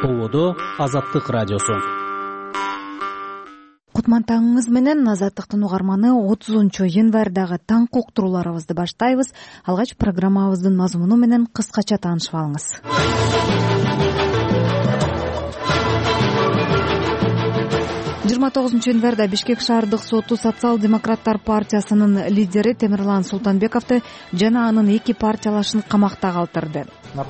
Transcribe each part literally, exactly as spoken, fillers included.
Ободо Азаттык радиосу. Кутмантаңыңыз менен Азаттыктын угарманы отузунчу январдагы таңкы уктурууларыбызды баштайбыз. Алгач программабыздын мазмуну менен кыскача таанышып алыңыз. жыйырма тогузунчу январда Бишкек шаардык соту социал-демократтар партиясынын лидери Темирлан Султанбековду жана анын эки партиялашын камакта калтырды.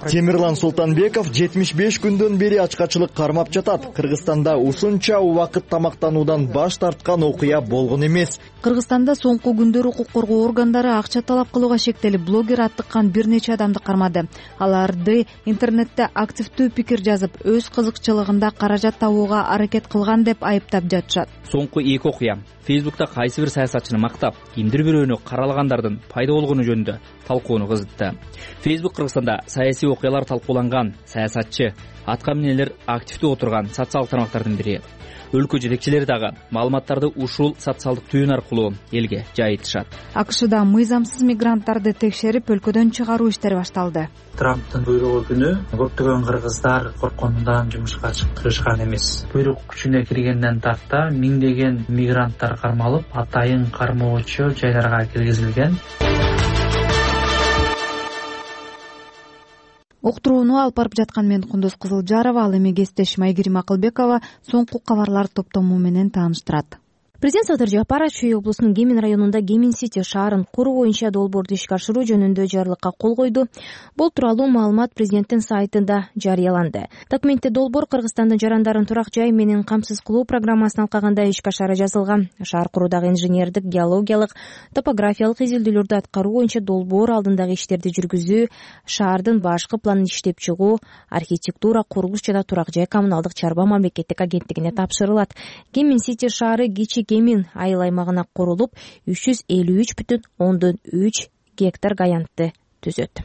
Темирлан Султанбеков жетимиш беш күндөн бери ачкачылык кармап жатат. Кыргызстанда ушунча убакыт тамактануудан баш тарткан окуя болгон эмес. Кыргызстанда соңку күндөр укук коргоо органдары акча талап кылууга шектелип, блогер аттыккан бир нече адамды кармады. Аларды интернетте активдүү пикир жазып, өз кызыкчылыгында каражат табууга аракет кылган деп айыптап жатышат. Соңку эки окуя Фейсбукта кайсы бир саясатчыны мактап, кимдир бирөөнү каралагандардын пайда болгону жөнүндө талкууну кызытты. Фейсбук Кыргызстанда саясий окуялар талкууланган саясатчы, атка минелер активдүү отурган социалдык тармактардын бири. Өлкө жетекчилери дагы маалыматтарды ушул социалдык түйүн аркылуу элге жайытышат. АКШда мыйзамсыз мигранттарды текшерип, өлкөдөн чыгаруу иштери башталды. Трамптын буйругу күнү көптөгөн кыргыздар коркконунан жумушка чыгышкан эмес. Буйрук күчүнө киргенден тарта миңдеген мигранттар кармалып, атайын кармоочу жайларга киргизилген. Уктурууну алып барып жаткан мен Кундуз Кызылжарова, ал эми кесиптешим Айгерим Акылбекова соңку кабарлар топтому менен тааныштырат. Президент Садыр Жапаров Чүй облусунун Кемин районунда Кемин Сити шаарын куруу боюнча долбоорду ишке ашыруу жөнүндө жарлыкка кол койду. Бул тууралуу маалымат президенттин сайтында жарыяланды. Документте долбоор Кыргызстандын жарандарын турак жай менен камсыз кылуу программасын алкаганда ишке ашары жазылган. Шаар куруудагы инженердик, геологиялык, топографиялык изилдөөлөрдү аткаруу боюнча долбоор алдындагы иштерди жүргүзүү, шаардын башкы планын иштеп чыгуу, архитектура, курулуш жана турак жай коммуналдык чарба мамлекеттик агенттигине тапшырылат. Кемин Сити шаары Кичи Кемин айыл аймагына курулуп, үч жүз элүү үч бүтүн ондон үч гектар гаянтты түзөт.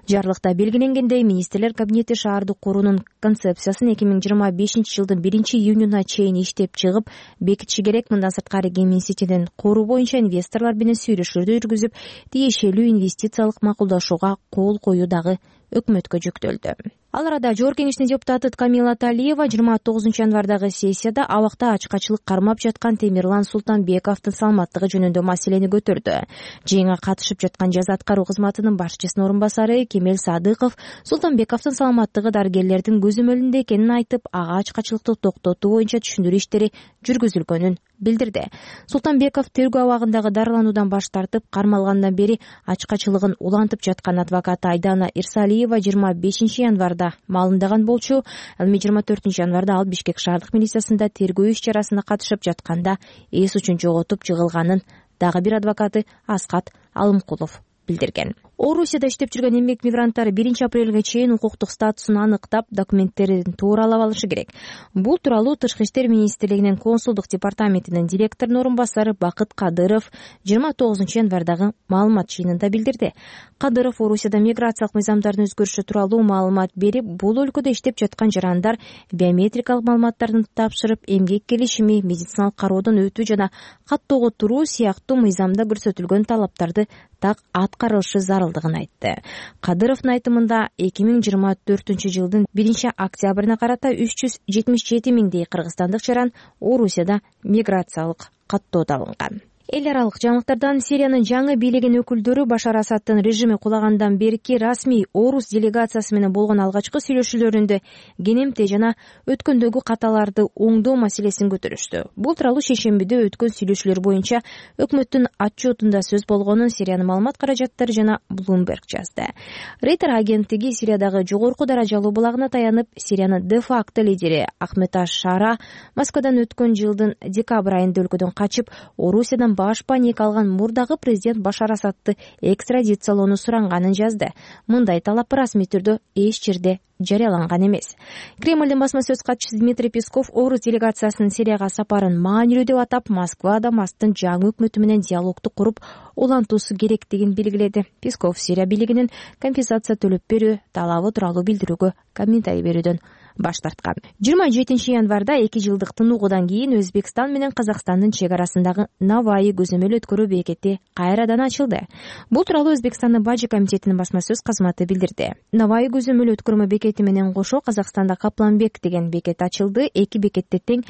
Жарлыкта белгиленгендей, министрлер кабинети шаарды куруунун концепциясын эки миң жыйырма бешинчи жылдын биринчи июнуна чейин иштеп чыгып, бекитиши керек. Мындан сырткары Кемин Ситинин куруу боюнча инвесторлор менен сүйлөшүүлөрдү жүргүзүп, тиешелүү инвестициялык макулдашууга кол коюу дагы өкмөткө жүктөлдү. Ал арада Жогорку Кеңештин депутаты Камила Талиева жыйырма тогузунчу январдагы сессияда абакта ачкачылык кармап жаткан Темирлан Султанбековдун саламаттыгы жөнүндө маселени көтөрдү. Жыйынга катышып жаткан жаза аткаруу кызматынын башчысынын орун басары Кемел Садыков Султанбековдун саламаттыгы дарыгерлердин көзөмөлүндө экенин айтып, ага ачкачылыкты токтотуу боюнча түшүндүрүү иштери жүргүзүлгөнүн билдирди. Султанбеков тергөө абагындагы дарылануудан баш тартып, кармалгандан бери ачкачылыгын улантып жаткан адвокаты Айдана Ирсалиева жыйырма бешинчи январда маалымдаган болчу. Ал эми жыйырма төртүнчү январда ал Бишкек шаардык милициясында тергөө иш-чарасына катышып жатканда эс учун жоготуп жыгылганын дагы бир адвокаты Аскат Алымкулов билдирген. Орусияда иштеп жүргөн эмгек мигранттар биринчи апрелге чейин укуктук статусун аныктап, документтерин тууралап алышы керек. Бул тууралуу Тышкы иштер министрлигинин консулдук департаментинин директорунун орун басары Бакыт Кадыров жыйырма тогузунчу январдагы маалымат жыйынында билдирди. Кадыров Орусияда миграциялык мыйзамдардын өзгөрүшү тууралуу маалымат берип, бул өлкөдө иштеп жаткан жарандар биометрикалык маалыматтарын тапшырып, эмгек келишими, медициналык кароодон өтүү жана каттоого туруу сыяктуу мыйзамда көрсөтүлгөн талаптарды так аткарылышы зарылдыгын айтты. Кадыровдун айтымында эки миң жыйырма төртүнчү жылдын биринчи октябрына карата үч жүз жетимиш жети миңдей кыргызстандык жаран Орусияда миграциялык каттоодо алынган. Эл аралык жаңылыктардан Сириянын жаңы бийлеген өкүлдөрү Башар Асадтын режими кулагандан берки расмий орус делегациясы менен болгон алгачкы сүйлөшүүлөрүндө кенемте жана өткөндөгү каталарды оңдоо маселесин көтөрүштү. Бул тууралуу шейшембиде өткөн сүйлөшүүлөр боюнча өкмөттүн отчетунда сөз болгонун Сириянын маалымат каражаттары жана Bloomberg жазды. Рейтер агенттиги Сириядагы жогорку даражалуу булагына таянып, Сириянын де-факто лидери Ахмед аш-Шара Москвадан өткөн жылдын декабрь айында өлкөдөн качып, Орусиядан баш паника алган мурдагы президент Башар Асадты экстрадициялоону суранганын жазды. Мындай талап расмий түрдө эч жерде жарыяланган эмес. Кремлдин басма сөз катчысы Дмитрий Песков орус делегациясынын Сирияга сапарын маанилүү деп атап, Москва Дамасктын жаңы өкмөтү менен диалогду куруп, улантуусу керектигин белгиледи. Песков Сирия бийлигинин компенсация төлөп берүү талабы тууралуу билдирүүгө комментарий берүүдөн баш тарткан. жыйырма жетинчи январда эки жылдык тынугудан кийин Өзбекстан менен Казакстандын чек арасындагы Наваи көзөмөл өткөрүү бекети кайрадан ачылды. Бул тууралуу Өзбекстандын бажы комитетинин басма сөз кызматы билдирди. Наваи көзөмөл өткөрмө бекети менен кошо Казакстанда Капланбек деген бекет ачылды. Эки бекетте тең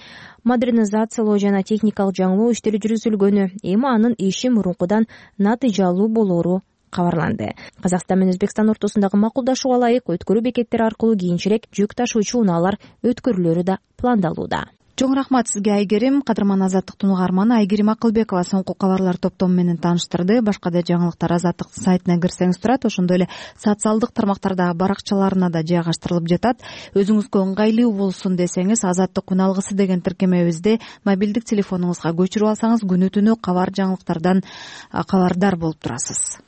модернизациялоо жана техникалык жаңылоо иштери жүргүзүлгөнү, эми анын иши мурункудан натыйжалуу болоору кабарланды. Казакстан менен Өзбекстан ортосундагы макулдашууга ылайык өткөрүү бекеттери аркылуу кийинчерээк жүк ташуучу унаалар өткөрүлөрү да пландалууда. Чоң рахмат сизге Айгерим. Кадырман Азаттыктын угарманы Айгерим Акылбекова соңку кабарлар топтому менен тааныштырды. Башка да жаңылыктар Азаттык сайтына кирсеңиз турат. Ошондой эле социалдык тармактарда баракчаларына да жайгаштырылып жатат. Өзүңүзгө ыңгайлуу болсун десеңиз, Азаттык күн алгысы деген тиркемебизди мобилдик телефонуңузга көчүрүп алсаңыз, күнү түнү кабар жаңылыктардан кабардар болуп турасыз.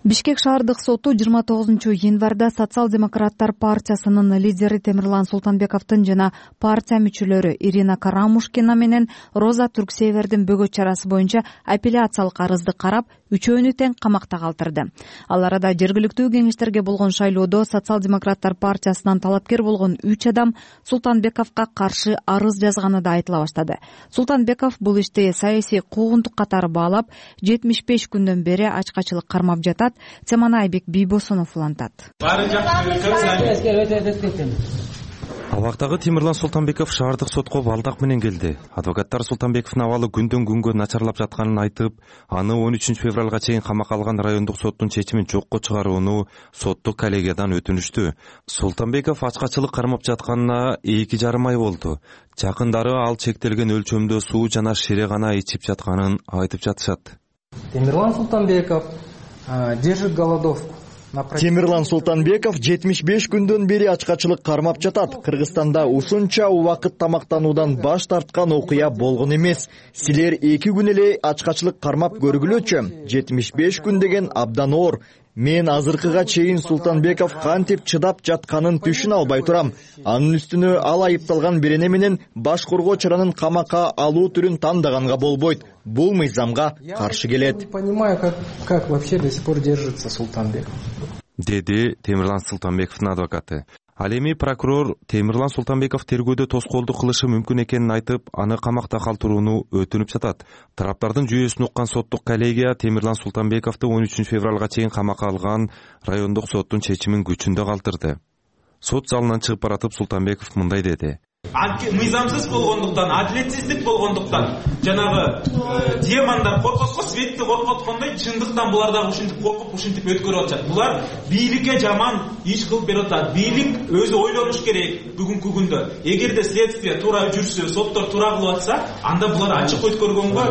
Бишкек шаардык соту жыйырма тогузунчу январда Социал-демократтар партиясынын лидери Темирлан Султанбековдун жана партия мүчөлөрү Ирина Карамушкина менен Роза Түрксевердин бөгөт чарасы боюнча апелляциялык арызды карап, үчөөнү тең камакта калтырды. Ал арада жергиликтүү кеңештерге болгон шайлоодо Социал-демократтар партиясынан талапкер болгон үч адам Султанбековго каршы арыз жазганы да айтыла баштады. Султанбеков бул ишти саясий куугунтук катары баалап, жетимиш беш күндөн бери ачкачылык кармап жатат. Теманы Айбек Бийбосунов улантат. Абактагы Темирлан Султанбеков шаардык сотко балдак менен келди. Адвокаттар Султанбековдун абалы күндөн күнгө начарлап жатканын айтып, аны он үчүнчү февралга чейин камакка алган райондук соттун чечимин жокко чыгарууну соттук коллегиядан өтүнүштү. Султанбеков ачкачылык кармап жатканына эки жарым ай болду. Жакындары ал чектелген өлчөмдө суу жана шире гана ичип жатканын айтып жатышат. Темирлан Султанбеков держит голодовку. Темирлан Султанбеков жетимиш беш күндөн бери ачкачылык кармап жатат. Кыргызстанда ушунча убакыт тамактануудан баш тарткан окуя болгон эмес. Силер эки күн эле ачкачылык кармап көргүлөчү. жетимиш беш күн деген абдан оор. Мен азыркыга чейин Султанбеков кантип чыдап жатканын түшүнө албай турам. Анын үстүнө ал айыпталган берене менен баш коргоо чаранын камакка алуу түрүн тандаганга болбойт. Бул мыйзамга каршы келет. Не понимаю, как, как вообще до сих пор держится Султанбеков. Деди Темирлан Султанбековдун адвокаты. Ал эми прокурор Темирлан Султанбеков тергөөдө тоскоолдук кылышы мүмкүн экенин айтып, аны камакта калтырууну өтүнүп жатат. Тараптардын жүйөсүн уккан соттук коллегия Темирлан Султанбековду он үчүнчү февралга чейин камакка алган райондук соттун чечимин күчүндө калтырды. Сот залынан чыгып баратып Султанбеков мындай деди. Мыйзамсыз болгондуктан, адилетсиздик болгондуктан, жанагы демондар коркоткон, светти коркоткондой, чындыктан булар дагы ушинтип коркуп, ушинтип өткөрүп атышат. Булар бийликке жаман иш кылып берип атат. Бийлик өзү ойлонуш керек бүгүнкү күндө. Эгерде следствие туура жүрсө, соттор туура кылып атса, анда булар ачык өткөргөнгө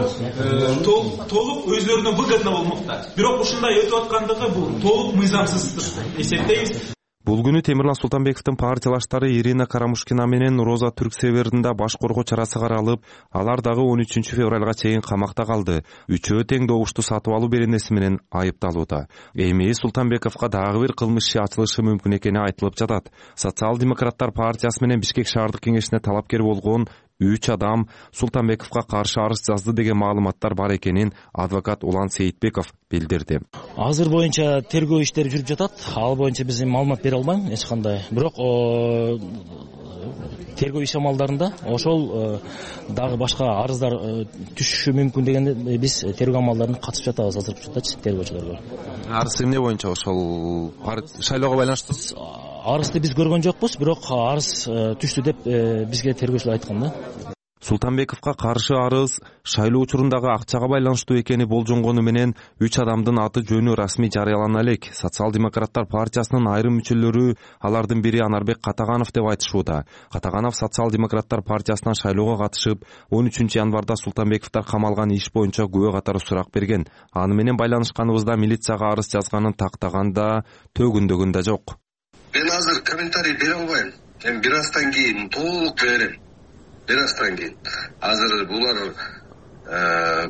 толук өзлөрүнө выгодно болмокта. Бирок ушундай өтүп аткандыгы бул толук мыйзамсыз деп эсептейбиз. Бул күнү Темирлан Султанбековдун партиялаштары Ирина Карамушкина менен Роза Түрксевердин да баш коргоо чарасы каралып, алар дагы он үчүнчү февралга чейин камакта калды. Үчөө тең добушту сатып алуу беренеси менен айыпталууда. Эми Султанбековго дагы бир кылмыш иши ачылышы мүмкүн экени айтылып жатат. Социал-демократтар партиясы менен Бишкек шаардык кеңешине талапкер болгон үч адам Султанбековго каршы арыз жазды деген маалыматтар бар экенин адвокат Улан Сейитбеков билдирди. Азыр боюнча тергөө иштери жүрүп жатат. Ал боюнча биз маалымат бере албайм эч кандай. Бирок тергөө иш амалдарында ошол дагы башка арыздар түшүшү мүмкүн дегенде биз тергөө амалдарына катышып жатабыз азыркы учурдачы тергөөчүлөр. Арыз эмне боюнча ошол шайлоого байланыштуу? Арызды биз көргөн жокпуз, бирок арыз түштү деп бизге тергөөчүлөр айткан да. Султанбековго каршы арыз шайлоо учурундагы акчага байланыштуу экени болжонгону менен үч адамдын аты жөнү расмий жарыялана элек. Социал-демократтар партиясынын айрым мүчөлөрү, алардын бири Анарбек Катаганов деп айтышууда. Катаганов Социал-демократтар партиясынан шайлоого катышып, он үчүнчү январда Султанбековдор камалган иш боюнча күбө катары сурак берген. Аны менен байланышканыбызда милицияга арыз жазганын тактаганда төгүндөгүн да жок. Мен азыр комментарий бере албайм. Эми бир аздан кийин толук берем. Бир аздан кийин. Азыр булар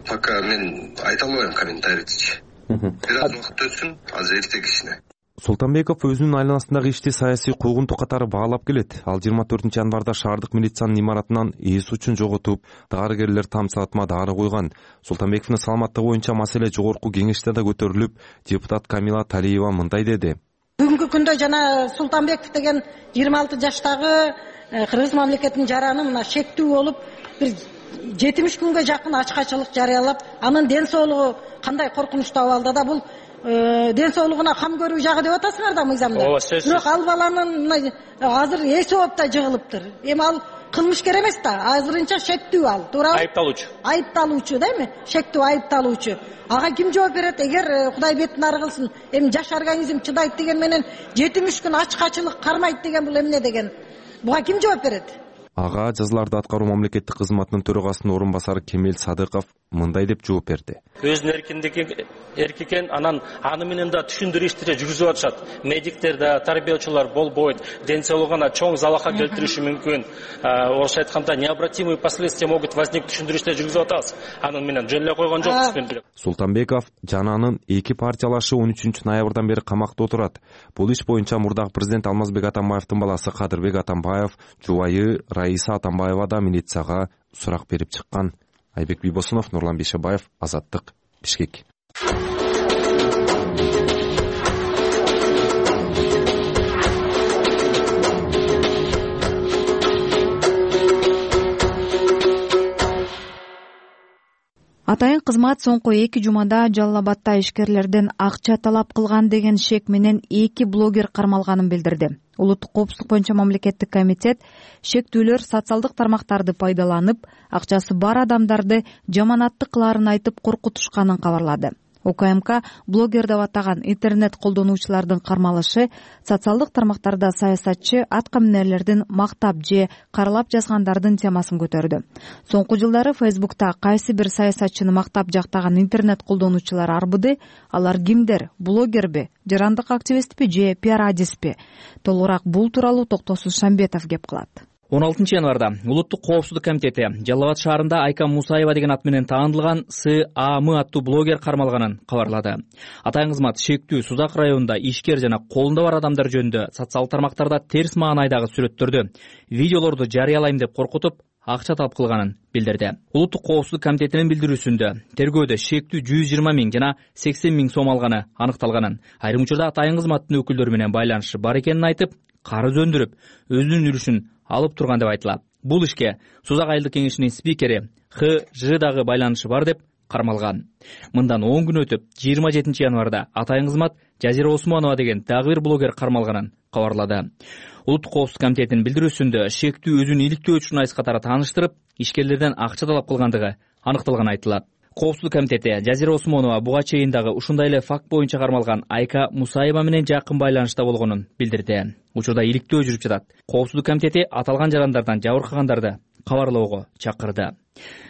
пока мен айта албайм комментарийчи. Бир аз убакыт өтсүн, азыр эртең кишине. Султанбеков өзүнүн айланасындагы ишти саясий куугунтук катары баалап келет. Ал жыйырма төртүнчү январда шаардык милициянын имаратынан эс учун жоготуп, дарыгерлер там саатыма дары койгон. Султанбековдун саламаттыгы боюнча маселе жогорку кеңеште да көтөрүлүп, депутат Камила Талиева мындай деди. Бүгүнкү күндө жана Султанбеков деген жыйырма алты жаштагы кыргыз мамлекетинин жараны мына шектүү болуп, бир жетимиш күнгө жакын ачкачылык жарыялап, анын ден соолугу кандай коркунучтуу абалда да, бул ден соолугуна кам көрүү жагы деп атасыңар да мыйзамда. Бирок ал баланын азыр эси ооп да жыгылыптыр. Эми ал кылмышкер эмес да, азырынча шектүү ал, туурабы? Айыпталуучу. Айыпталуучу да эми, шектүү айыпталуучу. Ага ким жооп берет? Эгер Кудай бетин ары кылсын, эми жаш организм чыдайт деген менен жетимиш күн ачкачылык кармайт деген бул эмне деген? Буга ким жооп берет? Ага жазаларды аткаруу мамлекеттик кызматынын төрагасынын орун басары Кемел Садыков мындай деп жооп берди. Өзүнүн эркиндиги эркикен, анан аны менен да түшүндүрүү иштери жүргүзүп атышат. Медиктер да, тарбиячылар болбойт, ден соолугуна чоң залалга келтириши мүмкүн. Орусча айтканда необратимые последствия могут возникнуть, түшүндүрүү иштери жүргүзүп атабыз. Анын менен жөн эле койгон жокпуз. Султанбеков жана анын эки партиялашы он үчүнчү ноябрдан бери камакта отурат. Бул иш боюнча мурдагы президент Алмазбек Атамбаевдин баласы Кадырбек Атамбаев, жубайы Раиса Атамбаева да милицияга сурак берип чыккан. Айбек Бийбосунов, Нурлан Бейшебаев, Азаттык, Бишкек. Атайын кызмат соңку эки жумада Жалал Абадда ишкерлерден акча талап кылган деген шек менен эки блогер кармалганын билдирди. Улуттук коопсуздук боюнча мамлекеттик комитет шектүүлөр социалдык тармактарды пайдаланып, акчасы бар адамдарды жаманатты кылаарын айтып коркутушканын кабарлады. УКМК блогер деп атаган интернет колдонуучулардын кармалышы социалдык тармактарда саясатчы, аткаминерлердин мактап же каралап жазгандардын темасын көтөрдү. Соңку жылдары Фейсбукта кайсы бир саясатчыны мактап жактаган интернет колдонуучулар арбыды. Алар кимдер? Блогерби, жарандык активистпи же пиар адиспи? Толугураак бул тууралуу Токтосуз Шамбетов кеп кылат. он алтынчы январда Улуттук коопсуздук комитети Жалал Абад шаарында Айка Мусаева деген ат менен таандылган С А М аттуу блогер кармалганын кабарлады. Атайын кызмат шектүү Сузак районунда ишкер жана колунда бар адамдар жөнүндө социалдык тармактарда терс маанайдагы сүрөттөрдү, видеолорду жарыялайм деп коркутуп, акча талап кылганын билдирди. Улуттук коопсуздук комитетинин билдирүүсүндө тергөөдө шектүү жүз жыйырма миң жана сексен миң сом алганы аныкталганын, айрым учурда атайын кызматтын өкүлдөрү менен байланышы бар экенин айтып, карыз өндүрүп, өзүнүн үлүшүн алып турган деп айтылат. Бул ишке Сузак айылдык кеңешинин спикери Х Ж дагы байланышы бар деп кармалган. Мындан он күн өтүп, жыйырма жетинчи январда атайын кызмат Жазира Осмонова деген дагы бир блогер кармалганын кабарлады. Улуттук коопсуздук комитетинин билдирүүсүндө шектүү өзүн иликтөө журналист катары тааныштырып, ишкерлерден акча талап кылгандыгы аныкталганы айтылат. Коопсуздук комитети Жазира Осмонова буга чейин дагы ушундай эле факт боюнча кармалган Айка Мусаева менен жакын байланышта болгонун билдирди. Учурда иликтөө жүрүп жатат. Коопсуздук комитети аталган жарандардан жабыркагандарды кабарлоого чакырды.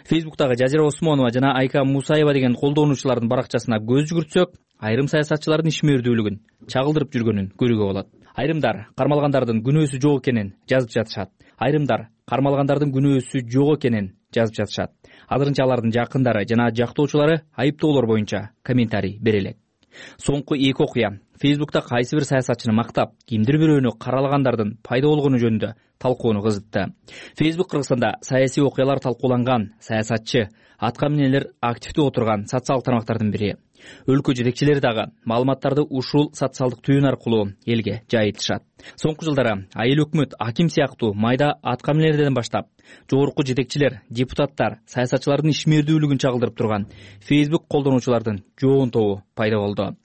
Фейсбуктагы Жазира Осмонова жана Айка Мусаева деген колдонуучулардын баракчасына көз жүгүртсөк, айрым саясатчылардын ишмердүүлүгүн чагылдырып жүргөнүн көрүүгө болот. Айрымдар кармалгандардын күнөөсү жок экенин жазып жатышат. Айрымдар кармалгандардын күнөөсү жок экенин жазып жатышат. Азырынча алардын жакындары жана жактоочулары айыптоолор боюнча комментарий бере элек. Соңку эки окуя Фейсбукта кайсы бир саясатчыны мактап, кимдир бирөөнү каралагандардын пайда болгону жөнүндө талкууну кызытты. Фейсбук Кыргызстанда саясий окуялар талкууланган, саясатчы, аткаминерлер активдүү отурган социалдык тармактардын бири. Өлкө жетекчилери дагы маалыматтарды ушул социалдык түйүн аркылуу элге жайылтышат. Соңку жылдары айыл өкмөт, аким сыяктуу майда аткаминерлерден баштап, жогорку жетекчилер, депутаттар, саясатчылардын ишмердүүлүгүн чагылдырып турган Facebook колдонуучулардын жоон тобу пайда болду.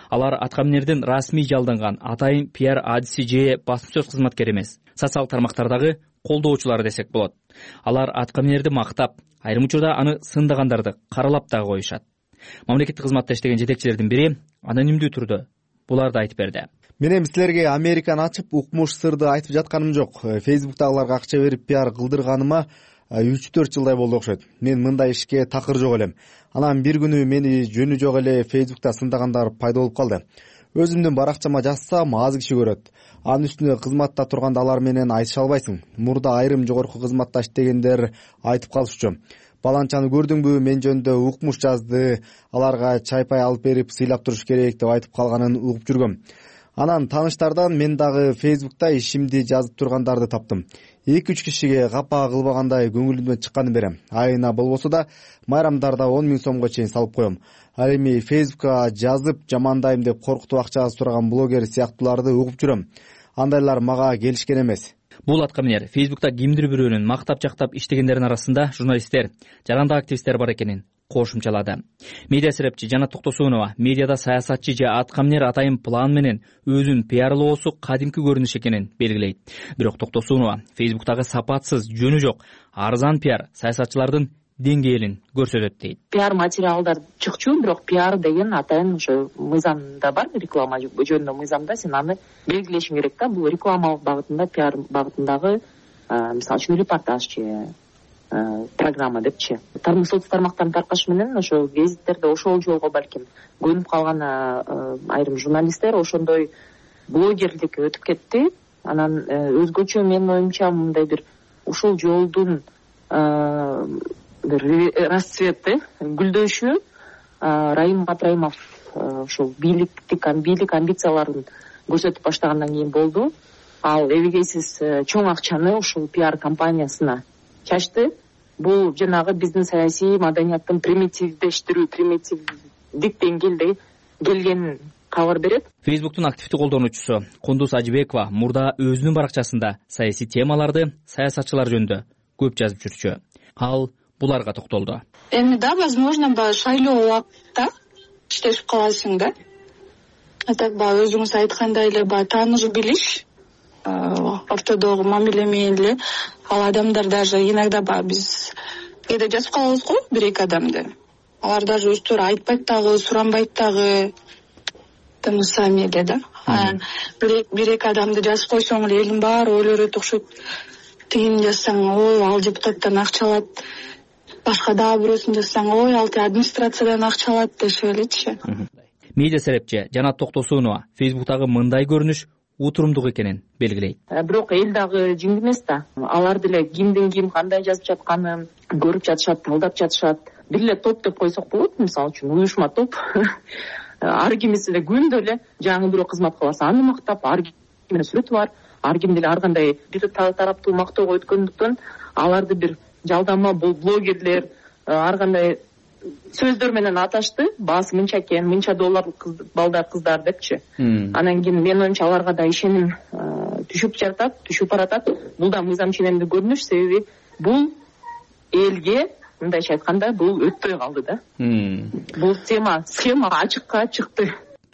Алар аткаминердин расмий жалданган атайын пиар адиси же басма сөз кызматкери эмес, социалдык тармактардагы колдоочулары десек болот. Алар аткаминерди мактап, айрым учурда аны сындагандарды каралап дагы коюшат. Мамлекеттик кызматта иштеген жетекчилердин бири анонимдүү түрдө буларды айтып берди. Мен эми силерге Американы ачып, укмуш сырды айтып жатканым жок. Фейсбуктагыларга акча берип пиар кылдырганыма үч төрт жылдай болду окшойт. Мен мындай ишке такыр жок элем. Анан бир күнү мени жөнү жок эле Фейсбукта сындагандар пайда болуп калды. Өзүмдүн баракчама жазсам аз киши көрөт. Анын үстүнө кызматта турганда алар менен айтыша албайсың. Мурда айрым жогорку кызматта иштегендер айтып калышчу. Баланчаны көрдүңбү, мен жөнүндө укмуш жазды, аларга чай пай алып берип сыйлап туруш керек деп айтып калганын угуп жүргөм. Анан тааныштардан мен дагы Фейсбукта ишимди жазып тургандарды таптым. эки үч кишиге капа кылбагандай көңүлүмдөн чыкканын берем. Айына болбосо да майрамдарда он миң сомго чейин салып коем. Ал эми Фейсбукка жазып жамандайм деп коркутуп акча сураган блогер сыяктууларды угуп жүрөм. Андайлар мага келишкен эмес. Бул аткаминер Фейсбукта кимдир бирөөнүн мактап-жактап иштегендердин арасында журналисттер, жарандык активисттер бар экенин кошумчалады. Медиа серепчи Жанат Токтосунова медиада саясатчы же аткаминер атайын план менен өзүн пиарлоосу кадимки көрүнүш экенин белгилейт. Бирок Токтосунова Фейсбуктагы сапатсыз, жөнү жок, арзан пиар саясатчылардын деңгээлин көрсөтөт дейт. Пиар материалдар чыкчу, бирок пиар деген атайын ошо мыйзамда бар, реклама жөнүндө мыйзамда сен аны белгилешиң керек да. Бул реклама багытында, пиар багытындагы мисалы үчүн репортаж же программа депчи. Соц тармактарын таркаш менен ошо гезиттерде ошол жолго балким көнүп калган айрым журналисттер ошондой блогерликке өтүп кетти. Анан өзгөчө менин оюмча мындай бир ушул жолдун бир расцвети, гүлдөшү Раим Матраимов ушул бийликтик бийлик амбицияларын көрсөтүп баштагандан кийин болду. Ал эбегейсиз чоң акчаны ушул пиар компаниясына чачты. Бул жанагы биздин саясий маданияттын примитивдештирүү, примитивдик деңгээлде келгенин кабар берет. Фейсбуктун активдүү колдонуучусу Кундуз Ажыбекова мурда өзүнүн баракчасында саясий темаларды, саясатчылар жөнүндө көп жазып жүрчү. Ал буларга токтолду. Эми да, возможно, баягы шайлоо убакытта иштешип каласың да. А так баягы өзүңүз айткандай эле баягы тааныш билиш, ортодогу мамиле менен эле ал адамдар даже иногда баягы биз кээде жазып калабыз го бир-эки адамды. Алар даже өздөрү айтпайт дагы, суранбайт дагы. Тым сами эле да. Бир-эки адамды жазып койсоң эле элдин баары ойлорот окшойт. Тигини жазсаң, ой, ал депутаттан акча алат. Башка дагы бирөөсүн жазсаң, ой, ал администрациядан акча алат дешип элечи. Медиа серепчи Жанат Токтосунова Фейсбуктагы мындай көрүнүш утурумдук экенин белгилейт. Бирок эл дагы жиң эмес да. Алар деле кимдин ким кандай жазып жатканын көрүп жатышат, талдап жатышат. Бир эле топ деп койсок болот, мисалы үчүн уюшма топ. Ар кимиси эле күндө эле жаңы бирөө кызмат кылса аны мактап, ар кимдин сүрөтү бар. Ар ким деле ар кандай бир тараптуу мактоого өткөндүктөн аларды бир жалдама бул блогерлер ар кандай сөздөр менен аташты. Баасы мынча экен, мынча доллар балдар кыздар депчи. Анан кийин менин оюмча аларга да ишеним түшүп жатат, түшүп баратат. Бул да мыйзам ченемдүү көрүнүш, себеби бул элге мындайча айтканда бул өтпөй калды да. Бул тема, схема ачыкка чыкты.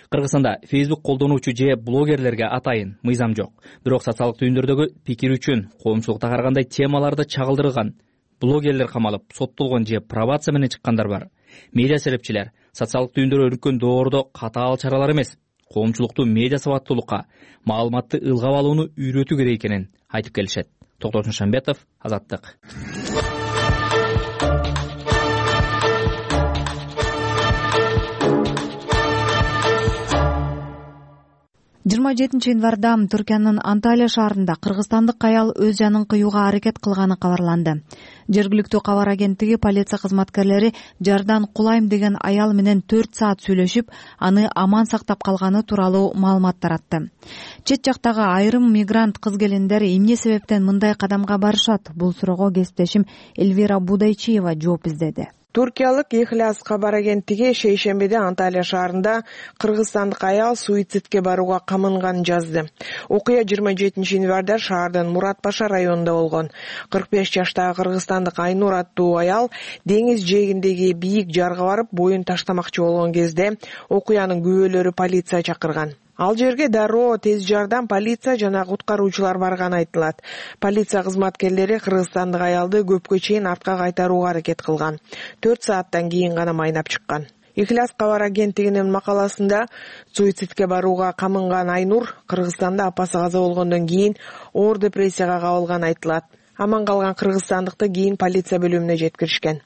Кыргызстанда Facebook колдонуучу же блогерлерге атайын мыйзам жок. Бирок социалдык түйүндөрдөгү пикир үчүн коомчулукта карагандай темаларды чагылдырган блогерлер камалып, соттолгон же пробация менен чыккандар бар. Медиа серепчилер социалдык түйүндөр өнүккөн доордо катаал чаралар эмес, коомчулукту медиа сабаттуулукка, маалыматты ылгап алууну үйрөтүү керек экенин айтып келишет. Токтосун Шамбетов, Азаттык. жыйырма жетинчи январда Түркиянын Анталия шаарында кыргызстандык аял өз жанын кыюуга аракет кылганы кабарланды. Жергиликтүү кабар агенттиги полиция кызматкерлери жардан кулайм деген аял менен төрт саат сүйлөшүп, аны аман сактап калганы тууралуу маалымат таратты. Чет жактагы айрым мигрант кыз-келиндер эмне себептен мындай кадамга барышат? Бул суроого кесиптешим Эльвира Будайчиева жооп издеди. Туркиялык Ихлас кабар агенттиги шейшембиде Анталия шаарында кыргызстандык аял суицидке барууга камынганын жазды. Окуя жыйырма жетинчи январда шаардын Мурат Паша районунда болгон. кырк беш жаштагы кыргызстандык Айнур аттуу аял деңиз жээгиндеги бийик жарга барып боюн таштамакчы болгон кезде окуянын күбөлөрү полиция чакырган. Ал жерге дароо тез жардам, полиция жана куткаруучулар барганы айтылат. Полиция кызматкерлери кыргызстандык аялды көпкө чейин артка кайтарууга аракет кылган. төрт сааттан кийин гана майнап чыккан. Ихлас кабар агенттигинин макаласында суицидке барууга камынган Айнур Кыргызстанда апасы каза болгондон кийин оор депрессияга кабылганы айтылат. Аман калган кыргызстандыкты кийин полиция бөлүмүнө жеткиришкен.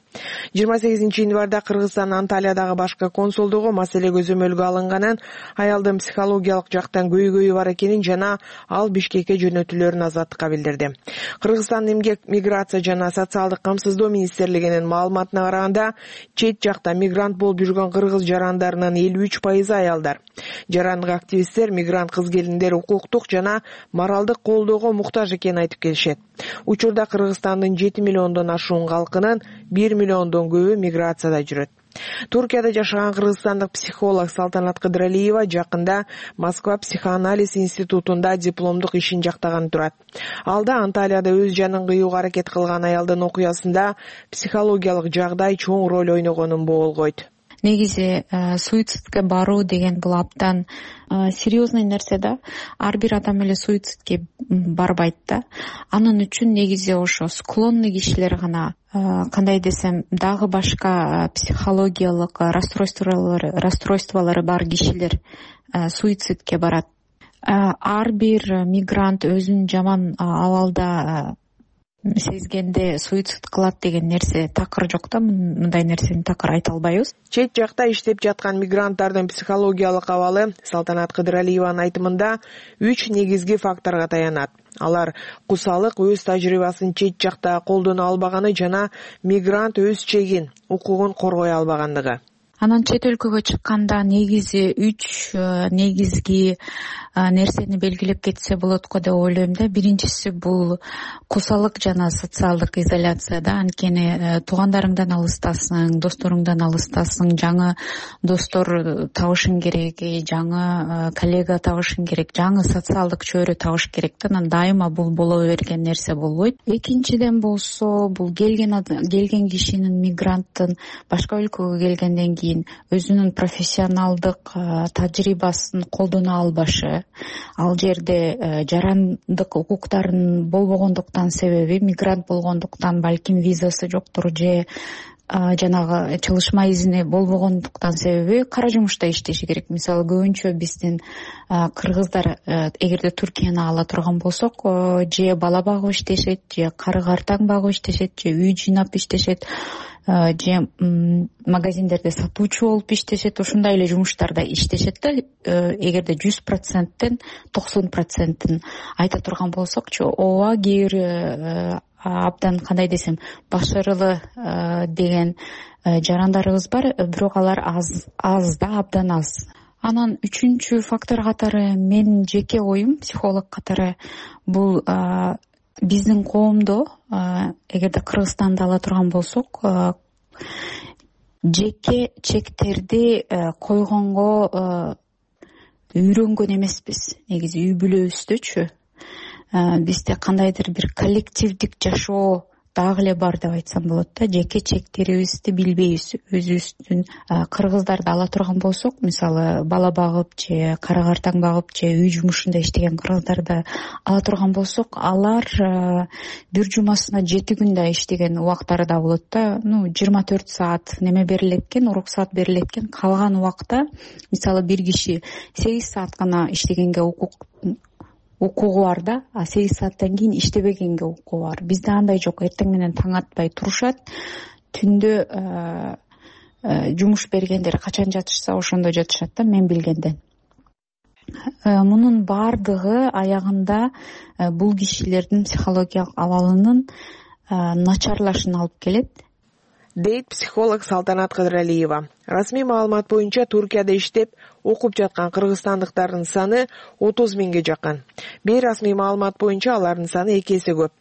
жыйырма сегизинчи январда Кыргызстан Анталиядагы башкы консулдугу маселе көзөмөлгө алынганын, аялдын психологиялык жактан көйгөйү бар экенин жана ал Бишкекке жөнөтүлөрүн Азаттыкка билдирди. Кыргызстан эмгек, миграция жана социалдык камсыздоо министрлигинин маалыматына караганда, чет жакта мигрант болуп жүргөн кыргыз жарандарынын элүү үч пайызы аялдар. Жарандык активисттер мигрант кыз-келиндер укуктук жана моралдык колдоого муктаж экенин айтып келишет. Учурда Кыргызстандын жети миллиондон ашуун калкынын бир миллиондон көбү миграцияда жүрөт. Туркияда жашаган кыргызстандык психолог Салтанат Кыдыралиева жакында Москва психоанализ институтунда дипломдук ишин жактаган турат. Алда Анталияда өз жанын кыюуга аракет кылган аялдын окуясында психологиялык жагдай чоң роль ойногонун боолгойт. Негизи суицидке баруу деген бул абдан серьезный нерсе да. Ар бир адам эле суицидке барбайт да. Анын үчүн негизи ошо склонный кишилер гана, кандай десем, дагы башка психологиялык расстройстволору расстройстволору бар кишилер суицидке барат. Ар бир мигрант өзүн жаман абалда сезгенде суицид кылат деген нерсе такыр жок да, мындай нерсени такыр айта албайбыз. Чет жакта иштеп жаткан мигранттардын психологиялык абалы Салтанат Кыдыралиеванын айтымында үч негизги факторго таянат. Алар кусалык, өз тажрыйбасын чет жакта колдоно албаганы жана мигрант өз чегин, укугун коргой албагандыгы. Анан чет өлкөгө чыкканда негизи үч негизги нерсени белгилеп кетсе болот го деп ойлойм да. Биринчиси бул кусалык жана социалдык изоляция да. Анткени туугандарыңдан алыстасың, досторуңдан алыстасың, жаңы достор табышың керек, жаңы коллега табышың керек, жаңы социалдык чөйрө табыш керек да. Анан дайыма бул боло берген нерсе болбойт. Экинчиден болсо, бул келген келген кишинин, мигранттын башка өлкөгө келгенден кийин өзүнүн профессионалдык тажрыйбасын колдоно албашы. Ал жерде жарандык укуктарын болбогондуктан себеби, мигрант болгондуктан балким визасы жоктур же жанагы чалышма изини болбогондуктан себеби кара жумушта иштеши керек. Мисалы көбүнчө биздин кыргыздар эгерде Туркияны ала турган болсок, же бала багып иштешет, же кары-картаң багып иштешет, же үй жыйнап иштешет, же магазиндерде сатуучу болуп иштешет. Ушундай эле жумуштарда иштешет да. Эгерде жүз проценттен токсон процентин айта турган болсокчу, ооба кээ бир абдан, кандай десем, башарылуу деген жарандарыбыз бар, бирок алар аз аз да, абдан аз. Анан үчүнчү фактор катары, менин жеке оюм психолог катары, бул биздин коомдо, эгерде Кыргызстанды ала турган болсок, жеке чектерди койгонго үйрөнгөн эмеспиз. Негизи үй бүлөбүздөчү бизде кандайдыр бир коллективдик жашоо дагы эле бар деп айтсам болот да. Жеке чектерибизди билбейбиз. Өзүбүздүн кыргыздарды ала турган болсок, мисалы бала багып же кары-картаң багып же үй жумушунда иштеген кыргыздарды ала турган болсок, алар бир жумасына жети күндө иштеген убактары да болот да. Ну, жыйырма төрт саат неме берилет экен, уруксат берилет экен. Калган убакта, мисалы бир киши сегиз саат гана иштегенге укук укугу бар да, а сегиз сааттан кийин иштебегенге укугу бар. Бизде андай жок. Эртең менен таң атпай турушат. Түндө жумуш бергендер качан жатышса ошондо жатышат да, мен билгенден. Мунун бардыгы аягында бул кишилердин психологиялык абалынын начарлашына алып келет, дейт психолог Салтанат Кыдыралиева. Расмий маалымат боюнча Туркияда иштеп окуп жаткан кыргызстандыктардын саны отуз миңге жакын. Бейрасмий маалымат боюнча алардын саны эки эсе көп.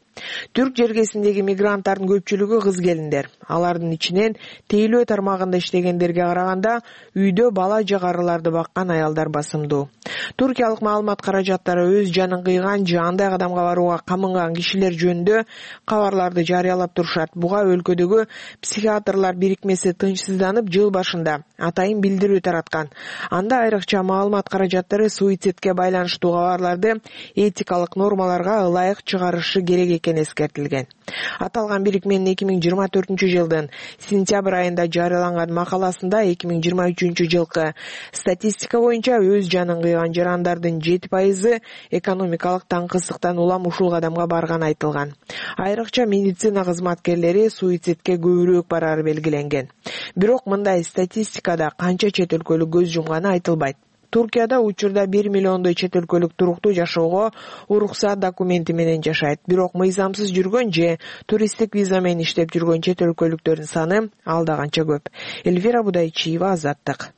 Түрк жергесиндеги мигранттардын көпчүлүгү кыз-келиндер. Алардын ичинен тейлөө тармагында иштегендерге караганда үйдө бала же карыларды баккан аялдар басымдуу. Туркиялык маалымат каражаттары өз жанын кыйган же андай кадамга барууга камынган кишилер жөнүндө кабарларды жарыялап турушат. Буга өлкөдөгү психиатрлар бирикмеси тынчсызданып жыл башында атайын билдирүү тараткан. Анда айрыкча маалымат каражаттары суицидке байланыштуу кабарларды этикалык нормаларга ылайык чыгарышы керек экени эскертилген. Аталган бирикменин эки миң жыйырма төртүнчү жылдын сентябрь айында жарыяланган макаласында эки миң жыйырма үчүнчү жылкы статистика боюнча өз жанын кыйган жарандардын жети пайызы экономикалык таңкысыздыктан улам ушул кадамга барганы айтылган. Айрыкча медицина кызматкерлери суицидке көбүрөөк барары белгиленген. Бирок мындай статистикада канча чет өлкөлүк көз жумганы айтылбайт. Туркияда учурда бир миллиондой чет өлкөлүк туруктуу жашоого уруксат документи менен жашайт. Бирок мыйзамсыз жүргөн же туристтик виза менен иштеп жүргөн чет өлкөлүктөрдүн саны алда канча көп. Эльвира Будайчиева, Азаттык.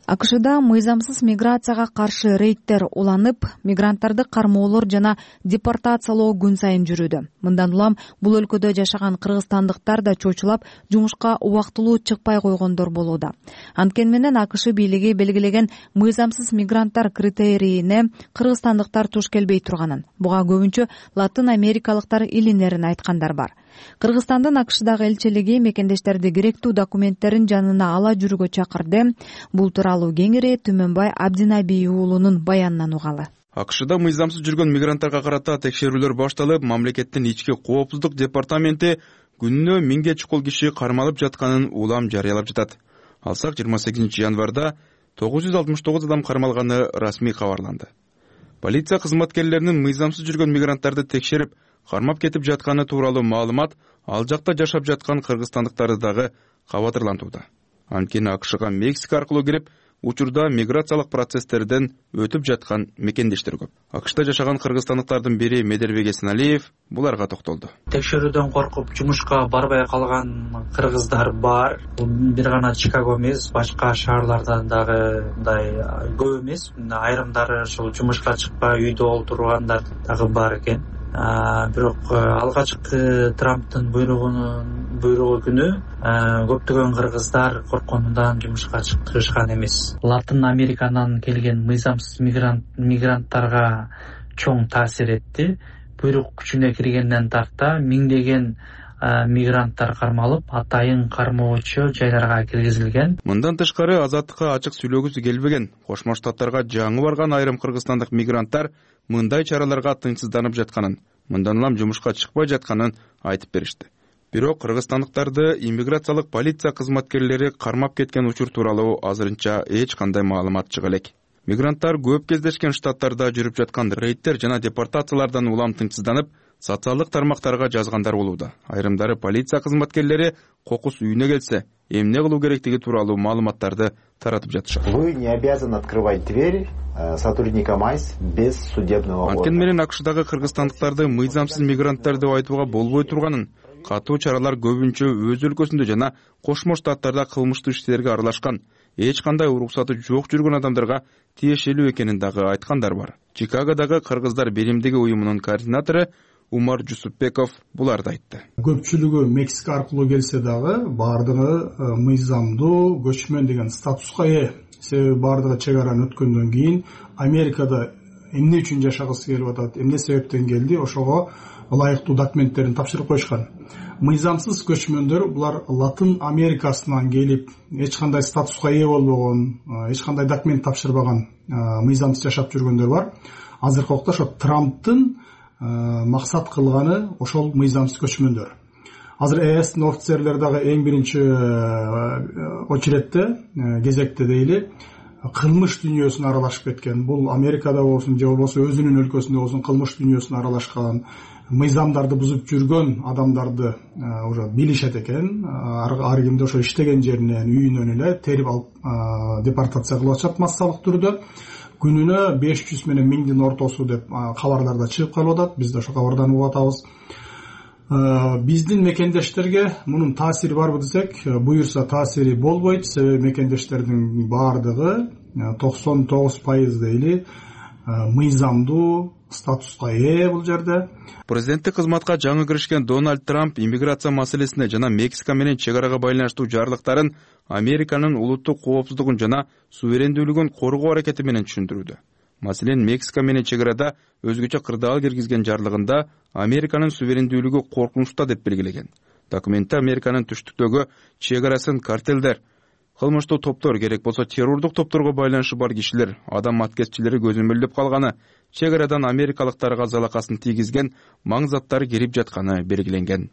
АКШда мыйзамсыз миграцияга каршы рейдтер уланып, мигранттарды кармоолор жана депортациялоо күн сайын жүрүүдө. Мындан улам бул өлкөдө жашаган кыргызстандыктар да чочулап, жумушка убактылуу чыкпай койгондор болууда. Анткени менен АКШ бийлиги белгилеген мыйзамсыз мигранттар критерийине кыргызстандыктар туш келбей турганын, буга көбүнчө латын америкалыктар илинерин айткандар бар. Кыргызстандын АКШдагы элчилиги мекендештерди керектүү документтерин жанына ала жүрүүгө чакырды. Бул тууралуу кеңири Түмөнбай Абдинабий уулунун баянынан угалы. АКШда мыйзамсыз жүргөн мигранттарга карата текшерүүлөр башталып, мамлекеттин ички коопсуздук департаменти күнүнө миңге чукул киши кармалып жатканын улам жарыялап жатат. Алсак жыйырма сегизинчи январда тогуз жүз алтымыш тогуз адам кармалганы расмий кабарланды. Полиция кызматкерлеринин мыйзамсыз жүргөн мигранттарды текшерип, кармап кетип жатканы тууралуу маалымат ал жакта жашап жаткан кыргызстандыктарды дагы кабатырлантууда. Анткени АКШга Мексика аркылуу кирип, учурда миграциялык процесстерден өтүп жаткан мекендештер көп. АКШда жашаган кыргызстандыктардын бири Медербек Эсеналиев буларга токтолду. Текшерүүдөн коркуп жумушка барбай калган кыргыздар бар. Бул бир гана Чикаго эмес, башка шаарлардан дагы мындай көп эмес. Айрымдары ушул жумушка чыкпай үйдө олтургандар дагы бар экен. Бирок алгачкы Трамптын буйругунун буйругу күнү көптөгөн кыргыздар коркконунан жумушка чыгышкан эмес. Латын Американан келген мыйзамсыз мигрант мигранттарга чоң таасир этти. Буйрук күчүнө киргенден тарта миңдеген мигранттар кармалып, атайын кармоочу жайларга киргизилген. Мындан тышкары Азаттыкка ачык сүйлөгүсү келбеген, Кошмо Штаттарга жаңы барган айрым кыргызстандык мигранттар мындай чараларга тынчсызданып жатканын, мындан улам жумушка чыкпай жатканын айтып беришти. Бирок кыргызстандыктарды иммиграциялык полиция кызматкерлери кармап кеткен учур тууралуу азырынча эч кандай маалымат чыга элек. Мигранттар көп кездешкен штаттарда жүрүп жаткан рейдтер жана депортациялардан улам тынчсызданып, социалдык тармактарга жазгандар болууда. Айрымдары полиция кызматкерлери кокус үйүнө келсе, эмне кылуу керектиги тууралуу маалыматтарды таратып жатышат. Вы не обязаны открывать дверь сотрудникам АЙС без судебного ордера. Анткени менен АКШдагы кыргызстандыктарды мыйзамсыз мигранттар деп айтууга болбой турганын, катуу чаралар көбүнчө өз өлкөсүндө жана Кошмо Штаттарда кылмыштуу иштерге аралашкан, эч кандай уруксаты жок жүргөн адамдарга тиешелүү экенин дагы айткандар бар. Чикагодагы Кыргыздар биримдиги уюмунун координатору Умар Жусупбеков буларды айтты. Көпчүлүгү Мексика аркылуу келсе дагы баардыгы мыйзамдуу көчмөн деген статуска ээ. Себеби баардыгы чек араны өткөндөн кийин Америкада эмне үчүн жашагысы келип атат, эмне себептен келди, ошого ылайыктуу документтерин тапшырып коюшкан. Мыйзамсыз көчмөндөр булар Латын Америкасынан келип, эч кандай статуска ээ болбогон, эч кандай документ тапшырбаган мыйзамсыз жашап жүргөндөр бар. Азыркы убакта ошо Трамптын максат кылганы ошол мыйзамсыз көчмөндөр. Азыр ЭСтин офицерлери дагы эң биринчи очередте, кезекте дейли, кылмыш дүйнөсүнө аралашып кеткен. Бул Америкада болсун, же болбосо өзүнүн өлкөсүндө болсун кылмыш дүйнөсүнө аралашкан, мыйзамдарды бузуп жүргөн адамдарды уже билишет экен. Ар кимди ошо иштеген жеринен, үйүнөн эле терип алып депортация кылып атышат массалык түрдө. Күнүнө беш жүз менен миңдин ортосу деп кабарларда чыгып калып атат. Биз да ошо кабардан угуп атабыз. Биздин мекендештерге мунун таасири барбы десек, буюрса таасири болбойт. Себеби мекендештердин баардыгы токсон тогуз пайыз дейли мыйзамдуу статуска ээ бул жерде. Президенттик кызматка жаңы киришкен Дональд Трамп иммиграция маселесине жана Мексика менен чек арага байланыштуу жарлыктарын Американын улуттук коопсуздугун жана суверендүүлүгүн коргоо аракети менен түшүндүрүүдө. Маселен, Мексика менен чек арада өзгөчө кырдаал киргизген жарлыгында Американын суверендүүлүгү коркунучта деп белгилеген. Документте Американын түштүктөгү чек арасын картелдер, кылмыштуу топтор, керек болсо террордук топторго байланышы бар кишилер, адам аткезчилери көзөмөлдөп калганы, чек арадан америкалыктарга залакасын тийгизген маң заттар кирип жатканы белгиленген.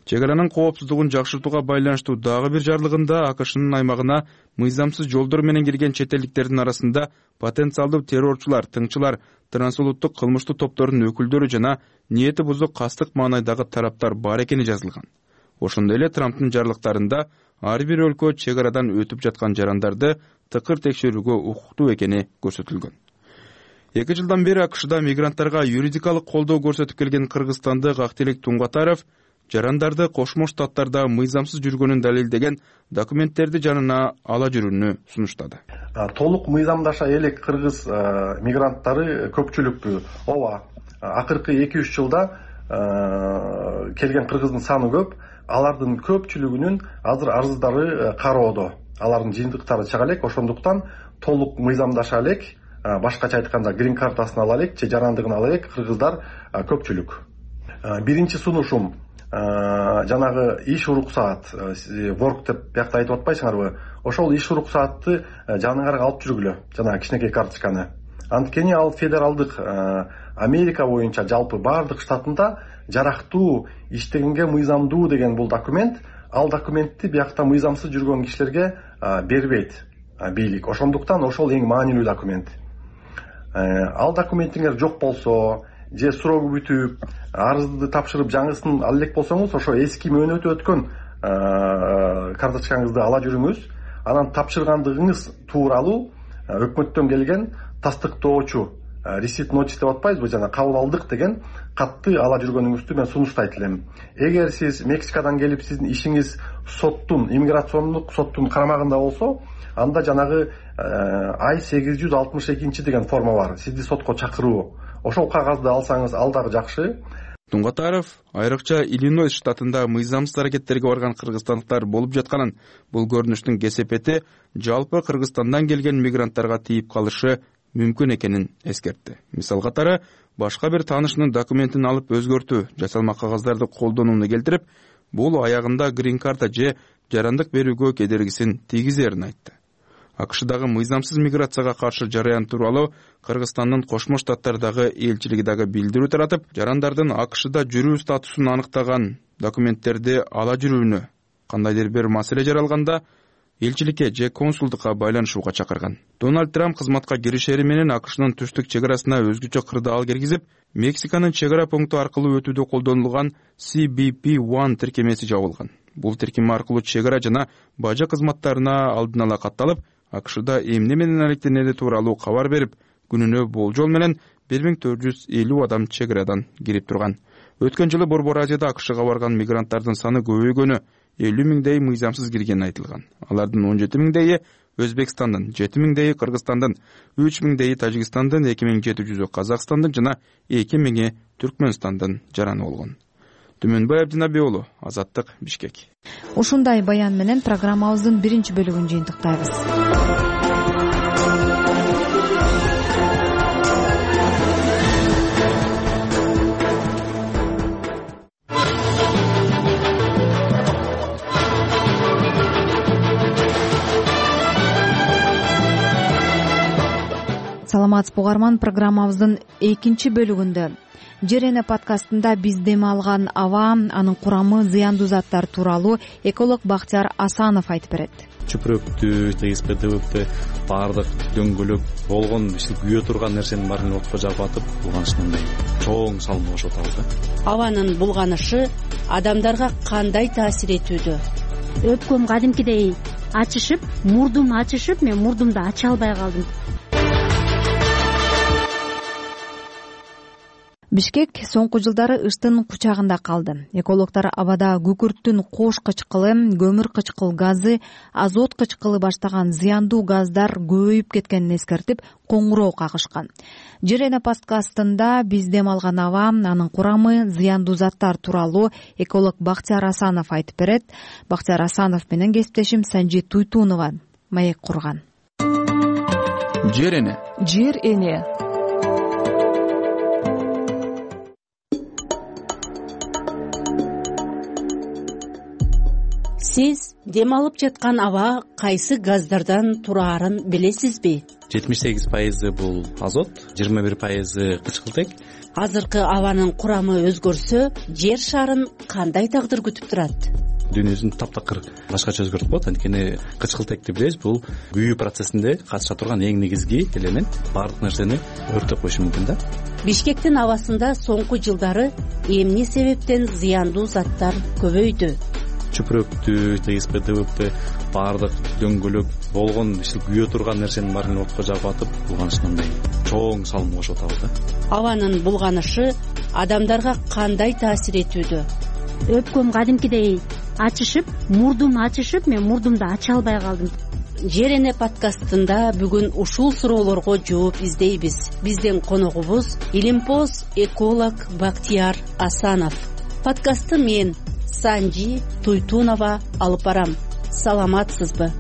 Чек аранын коопсуздугун жакшыртууга байланыштуу дагы бир жарлыгында АКШнын аймагына мыйзамсыз жолдор менен кирген чет элдиктердин арасында потенциалдуу террорчулар, тыңчылар, трансулуттук кылмыштуу топтордун өкүлдөрү жана ниети бузук кастык маанайдагы тараптар бар экени жазылган. Ошондой эле Трамптын жарлыктарында ар бир өлкө чек арадан өтүп жаткан жарандарды тыкыр текшерүүгө укуктуу экени көрсөтүлгөн. Эки жылдан бери АКШда мигранттарга юридикалык колдоо көрсөтүп келген кыргызстандык Актилек Туңгатаров жарандарды Кошмо Штаттарда мыйзамсыз жүргөнүн далилдеген документтерди жанына ала жүрүүнү сунуштады. Толук мыйзамдаша элек кыргыз мигранттары көпчүлүктүү. Ооба, акыркы эки үч жылда келген кыргыздын саны көп. Алардын көпчүлүгүнүн азыр арыздары кароодо. Алардын жыйынтыктары чыга элек, ошондуктан толук мыйзамдаша элек, башкача айтканда грин картасын ала элек, же жарандыгын ала элек кыргыздар көпчүлүк. Биринчи сунушум жанагы иш уруксаат, ворк деп биякта айтып атпайсыңарбы? Ошол иш уруксаатты жаныңарга алып жүргүлө, жана кичинекей карточканы. Анткени ал федералдык Америка боюнча жалпы бардык штатында жарактуу, иштегенге мыйзамдуу деген бул документ. Ал документти биякта мыйзамсыз жүргөн кишилерге бербейт бийлик. Ошондуктан ошол эң маанилүү документ. Ал документиңер жок болсо, же суроо бүтүп, арызды тапшырып жаңысын ала элек болсоңуз, ошо эски мөөнөтү өткөн карточкаңызды ала жүрүңүз. Анан тапшыргандыгыңыз тууралуу өкмөттөн келген тастыктоочу, ресит нотис деп атпайбызбы, жана кабыл алдык деген катты ала жүргөнүңүздү мен сунуштайт элем. Эгер сиз Мексикадан келип, сиздин ишиңиз соттун, иммиграциондук соттун карамагында болсо, анда жанагы ай сегиз жүз алтымыш экинчи деген форма бар, сизди сотко чакыруу. Ошол кагазды алсаңыз, ал дагы жакшы. Туңгатаров айрыкча Иллинойс штатында мыйзамсыз аракеттерге барган кыргызстандыктар болуп жатканын, бул көрүнүштүн кесепети жалпы Кыргызстандан келген мигранттарга тийип калышы мүмкүн экенин эскертти. Мисал катары, башка бир таанышынын документин алып өзгөртүү, жасалма кагаздарды колдонууну келтирип, бул аягында грин карта же жарандык берүүгө кедергисин тийгизерин айтты. АКШдагы мыйзамсыз миграцияга каршы жараян тууралуу Кыргызстандын Кошмо Штаттардагы элчилиги дагы билдирүү таратып, жарандардын АКШда жүрүү статусун аныктаган документтерди ала жүрүүнү кандайдыр бир маселе жаралганда элчиликке же консулдукка байланышууга чакырган. Дональд Трамп кызматка киришери менен АКШнын түштүк чек арасына өзгөчө кырдаал киргизип, Мексиканын чек ара пункту аркылуу өтүүдө колдонулган си би пи один тиркемеси жабылган. Бул тиркеме аркылуу чек ара жана бажа кызматтарына алдын ала катталып, АКШда эмне менен алектенери тууралуу кабар берип, күнүнө болжол менен бир миң төрт жүз элүү адам чек арадан кирип турган. Өткөн жылы Борбор Азияда АКШга барган мигранттардын саны көбөйгөнү, элүү миңдей мыйзамсыз киргени айтылган. Алардын он жети миңдейи Өзбекстандын, жети миңдейи Кыргызстандын, үч миңдейи Тажикстандын, эки миң жети жүзү Казакстандын жана эки миңи Түркмөнстандын жараны болгон. Түмөнбай Абдинабий уулу, Азаттык, Бишкек. Ушундай баян менен программабыздын биринчи бөлүгүн жыйынтыктайбыз. Саламатсызбы угарман, программабыздын экинчи бөлүгүндө Жер эне подкастында биз дем алган аба, анын курамы, зыяндуу заттар тууралуу эколог Бактияр Асанов айтып берет. Чөпүрөктү, ТСП-дөбөктү баардык дөңгөлөк болгон, күйө турган нерсенин баарын отко жагып атып, булганышындай чоң салым болуп атабыз. Абанын булганышы адамдарга кандай таасир этүүдө? Өпкөм кадимкидей ачышып, мурдум ачышып, мен мурдумду ача албай калдым. Бишкек соңку жылдары ыштын кучагында калды. Экологдор абада күкүрттүн кош кычкылы, көмүр кычкыл газы, азот кычкылы баштаган зыяндуу газдар көбөйүп кеткенин эскертип, коңгуроо кагышкан. Жер эне подкастында биз дем алган аба, анын курамы, зыяндуу заттар тууралуу эколог Бактияр Асанов айтып берет. Бактияр Асанов менен кесиптешим Санжи Туйтунова маек курган. Жер эне. Жер эне. сиз дем алып жаткан аба кайсы газдардан тураарын билесизби? жетимиш сегиз пайызы бул азот, жыйырма бир пайызы кычкылтек. Азыркы абанын курамы өзгөрсө, жер шарын кандай тагдыр күтүп турат? Дүйнөсүн таптакыр башкача өзгөртүп коет. Анткени кычкылтекти билебиз, бул күйүү процессинде катыша турган эң негизги элемент. Баардык нерсени өрттөп коюшу мүмкүн да. Бишкектин абасында соңку жылдары эмне себептен зыяндуу заттар көбөйдү? Чүпүрөктү, ТСП, ДВП баардык дөңгөлөк болгон күйө турган нерсенин баарын отко жагып атып, булганышындай чоң салым кошуп атабыз да. Абанын булганышы адамдарга кандай таасир этүүдө? Өпкөм кадимкидей ачышып, мурдум ачышып, мен мурдумду ача албай калдым. Жер эне подкастында бүгүн ушул суроолорго жооп издейбиз. Биздин коногубуз илимпоз эколог Бактияр Асанов. Подкастты мен Санжи Туйтунова алып барам. Саламатсызбы?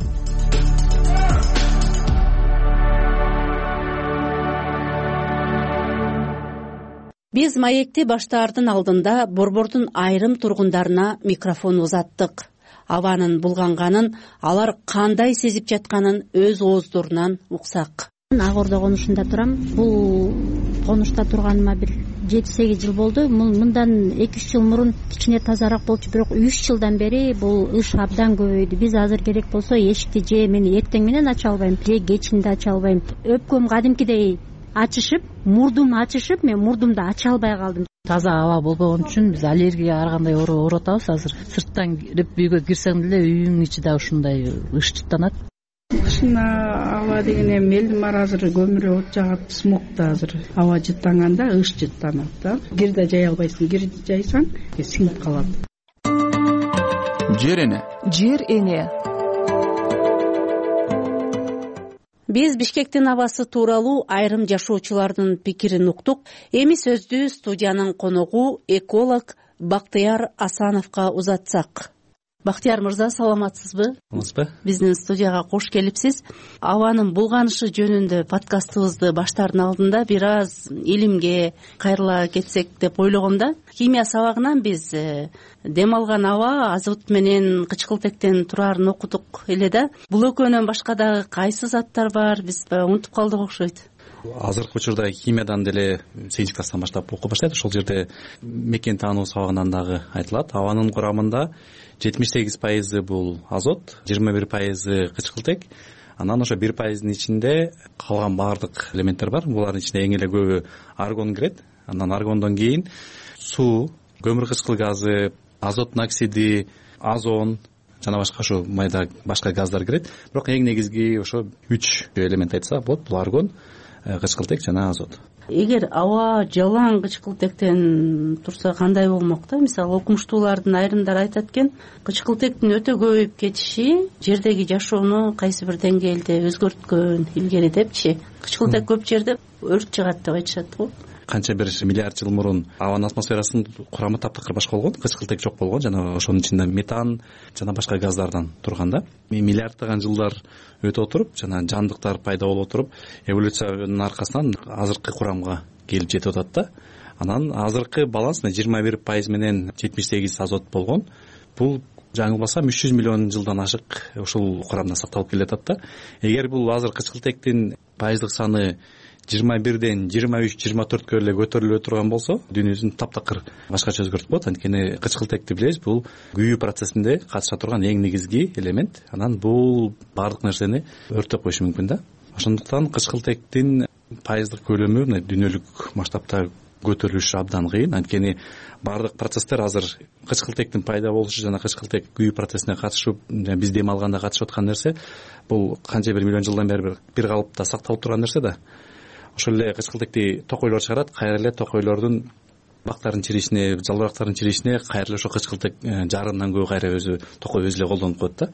Биз маекти баштаардын алдында борбордун айрым тургундарына микрофон узаттык. Абанын булганганын, алар кандай сезип жатканын өз ооздорунан уксак. Ак Ордо конушунда турам. Бул конушта турганыма бир жети сегиз жыл болду. Мындан эки үч жыл мурун кичине тазараак болчу, бирок үч жылдан бери бул ыш абдан көбөйдү. Биз азыр керек болсо эшикти же мен эртең менен ача албайм, же кечинде ача албайм. Өпкөм кадимкидей ачышып, мурдум ачышып, мен мурдумду ача албай калдым. Таза аба болбогон үчүн биз аллергияга ар кандай ооруп атабыз. Азыр сырттан кирип үйгө кирсең деле үйүңдүн ичи да ушундай ыш жыттанат. Кышына аба деген эми элдин баары азыр көмүрө от жагат, смогда азыр аба жыттанганда ыш жыттанат да. Кир да жай албайсың, кир жайсаң сиңип калат. Жер эне. Жер эне. Биз Бишкектин абасы тууралуу айрым жашоочулардын пикирин уктук. Эми сөздү студиянын коногу эколог Бактияр Асановго узатсак. Бактияр мырза, саламатсызбы? Саламатсызбы? Биздин студияга кош келипсиз. Абанын булганышы жөнүндө подкастыбызды баштаардын алдында бир аз илимге кайрыла кетсек деп ойлогом да. Химия сабагынан биз дем алган аба азот менен кычкылтектен тураарын окудук эле да. Бул экөөнөн башка дагы кайсы заттар бар? Биз унутуп калдык окшойт. Азыркы учурда химиядан деле сегизинчи класстан баштап окуп баштайт. Ошол жерде мекен таануу сабагынан дагы айтылат. Абанын курамында жетимиш сегиз пайызы бул азот, жыйырма бир пайызы кычкылтек. Анан ошо бир пайыздын ичинде калган баардык элементтер бар. Булардын ичинде эң эле көбү аргон кирет. Андан аргондон кийин суу, көмүр кычкыл газы, азот оксиди, озон жана башка ошо майда башка газдар кирет. Бирок эң негизги ошо үч элемент айтсак болот. Бул аргон, кычкылтек жана азот. Эгер аба жалаң кычкылтектен турса кандай болмок да? Мисалы окумуштуулардын айрымдары айтат экен, кычкылтектин өтө көбөйүп кетиши жердеги жашоону кайсы бир деңгээлде өзгөрткөн илгери депчи. Кычкылтек көп жерде өрт чыгат деп айтышат го. Канча бир миллиард жыл мурун абанын атмосферасынын курамы таптакыр башка болгон, кычкылтек жок болгон, жана ошонун ичинде метан жана башка газдардан турган да. Миллиарддаган жылдар өтө отуруп, жана жандыктар пайда болуп отуруп, эволюциянын аркасынан азыркы курамга келип жетип атат да. Анан азыркы баланс жыйырма бир пайыз менен жетимиш сегиз азот болгон. Бул жаңылбасам үч жүз миллион жылдан ашык ушул курамда сакталып келатат да. Эгер бул азыр кычкылтектин пайыздык саны жыйырма бирден жыйырма үч жыйырма төрткө эле көтөрүлө турган болсо, дүйнөсүн таптакыр башкача өзгөртүп коет. Анткени кычкылтекти билебиз, бул күйүү процессинде катыша турган эң негизги элемент. Анан бул баардык нерсени өрттөп коюшу мүмкүн да. Ошондуктан кычкылтектин пайыздык көлөмү мына дүйнөлүк масштабта көтөрүлүшү абдан кыйын. Анткени баардык процесстер азыр кычкылтектин пайда болушу жана кычкылтек күйүү процессине катышып, биз дем алганда катышып аткан нерсе, бул канча бир миллион жылдан бери бир калыпта сакталып турган нерсе да. Ошол эле кычкылтекти токойлор чыгарат, кайра эле токойлордун бактарын чиришине, жалбырактарын чиришине кайра эле ошо кычкылтек жарымдан көп кайра өзү токой өзү эле колдонуп коет да.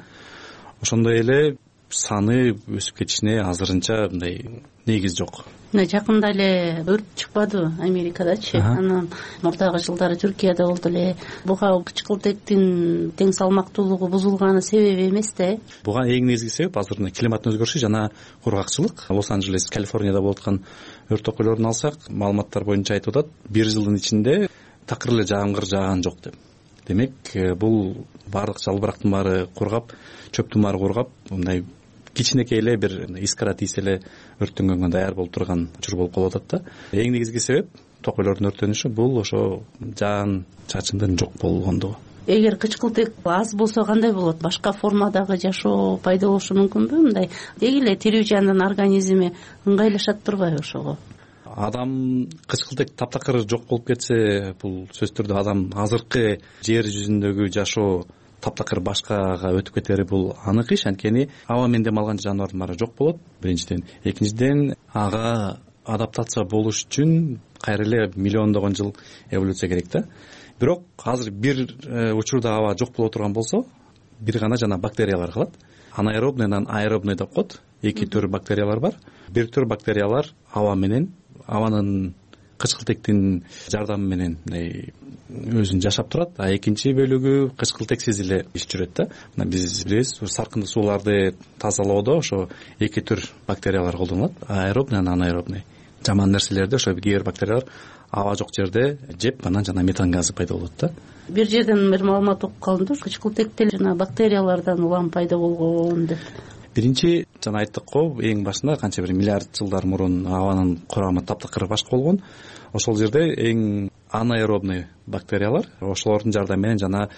Ошондой эле саны өсүп кетишине азырынча мындай негиз жок. Мына жакында эле өрт чыкпадыбы Америкадачы? Анан мурдагы жылдары Түркияда болду эле. Буга кычкылтектин тең салмактуулугу бузулганы себеби эмес да? Буга эң негизги себеп азыр климаттын өзгөрүшү жана кургакчылык. Лос-Анджелес, Калифорнияда болуп аткан өрт токойлорун алсак, маалыматтар боюнча айтып атат, бир жылдын ичинде такыр эле жаамгыр жааган жок деп. демек бул баардык жалбырактын баары кургап, чөптүн баары кургап, мындай кичинекей эле бир искра тийсе эле өрттөнгөнгө даяр болуп турган учур болуп калып атат да. Эң негизги себеп токойлордун өрттөнүшү бул ошо жаан чачындын жок болгондугу. Эгер кычкылтек аз болсо кандай болот? Башка формадагы жашоо пайда болушу мүмкүнбү? Мындай деги эле тирүү жандын организми ыңгайлашат турбайбы ошого? Адам кычкылтек таптакыр жок болуп кетсе, бул сөзсүз түрдө адам азыркы жер жүзүндөгү жашоо таптакыр башкага өтүп кетери бул анык иш. Анткени аба менен дем алган жаныбардын баары жок болот биринчиден. Экинчиден ага адаптация болуш үчүн кайра эле миллиондогон жыл эволюция керек да. Бирок азыр бир учурда аба жок боло турган болсо, бир гана жана бактериялар калат. Анаэробный, анан аэробный деп коет. Эки төр бактериялар бар. Бир төр бактериялар аба менен, абанын кычкылтектин жардамы менен өзүн жашап турат, а экинчи бөлүгү кычкылтексиз эле иш жүрөт да. Мына биз билебиз, саркындуу сууларды тазалоодо ошо эки төр бактериялар колдонулат. Аэробный, анан анаэробный. Жаман нерселерди ошо кээ бир бактериялар аба жок жерде жеп, анан жана метан газы пайда болот да. Бир жерден бир маалымат окуп калдым да, кычкылтектер жана бактериялардан улам пайда болгон деп. Биринчи жана айттык го, эң башында канча бир миллиард жылдар мурун абанын курамы таптакыр башка болгон. Ошол жерде эң анаэробный бактериялар, ошолордун жардамы менен жана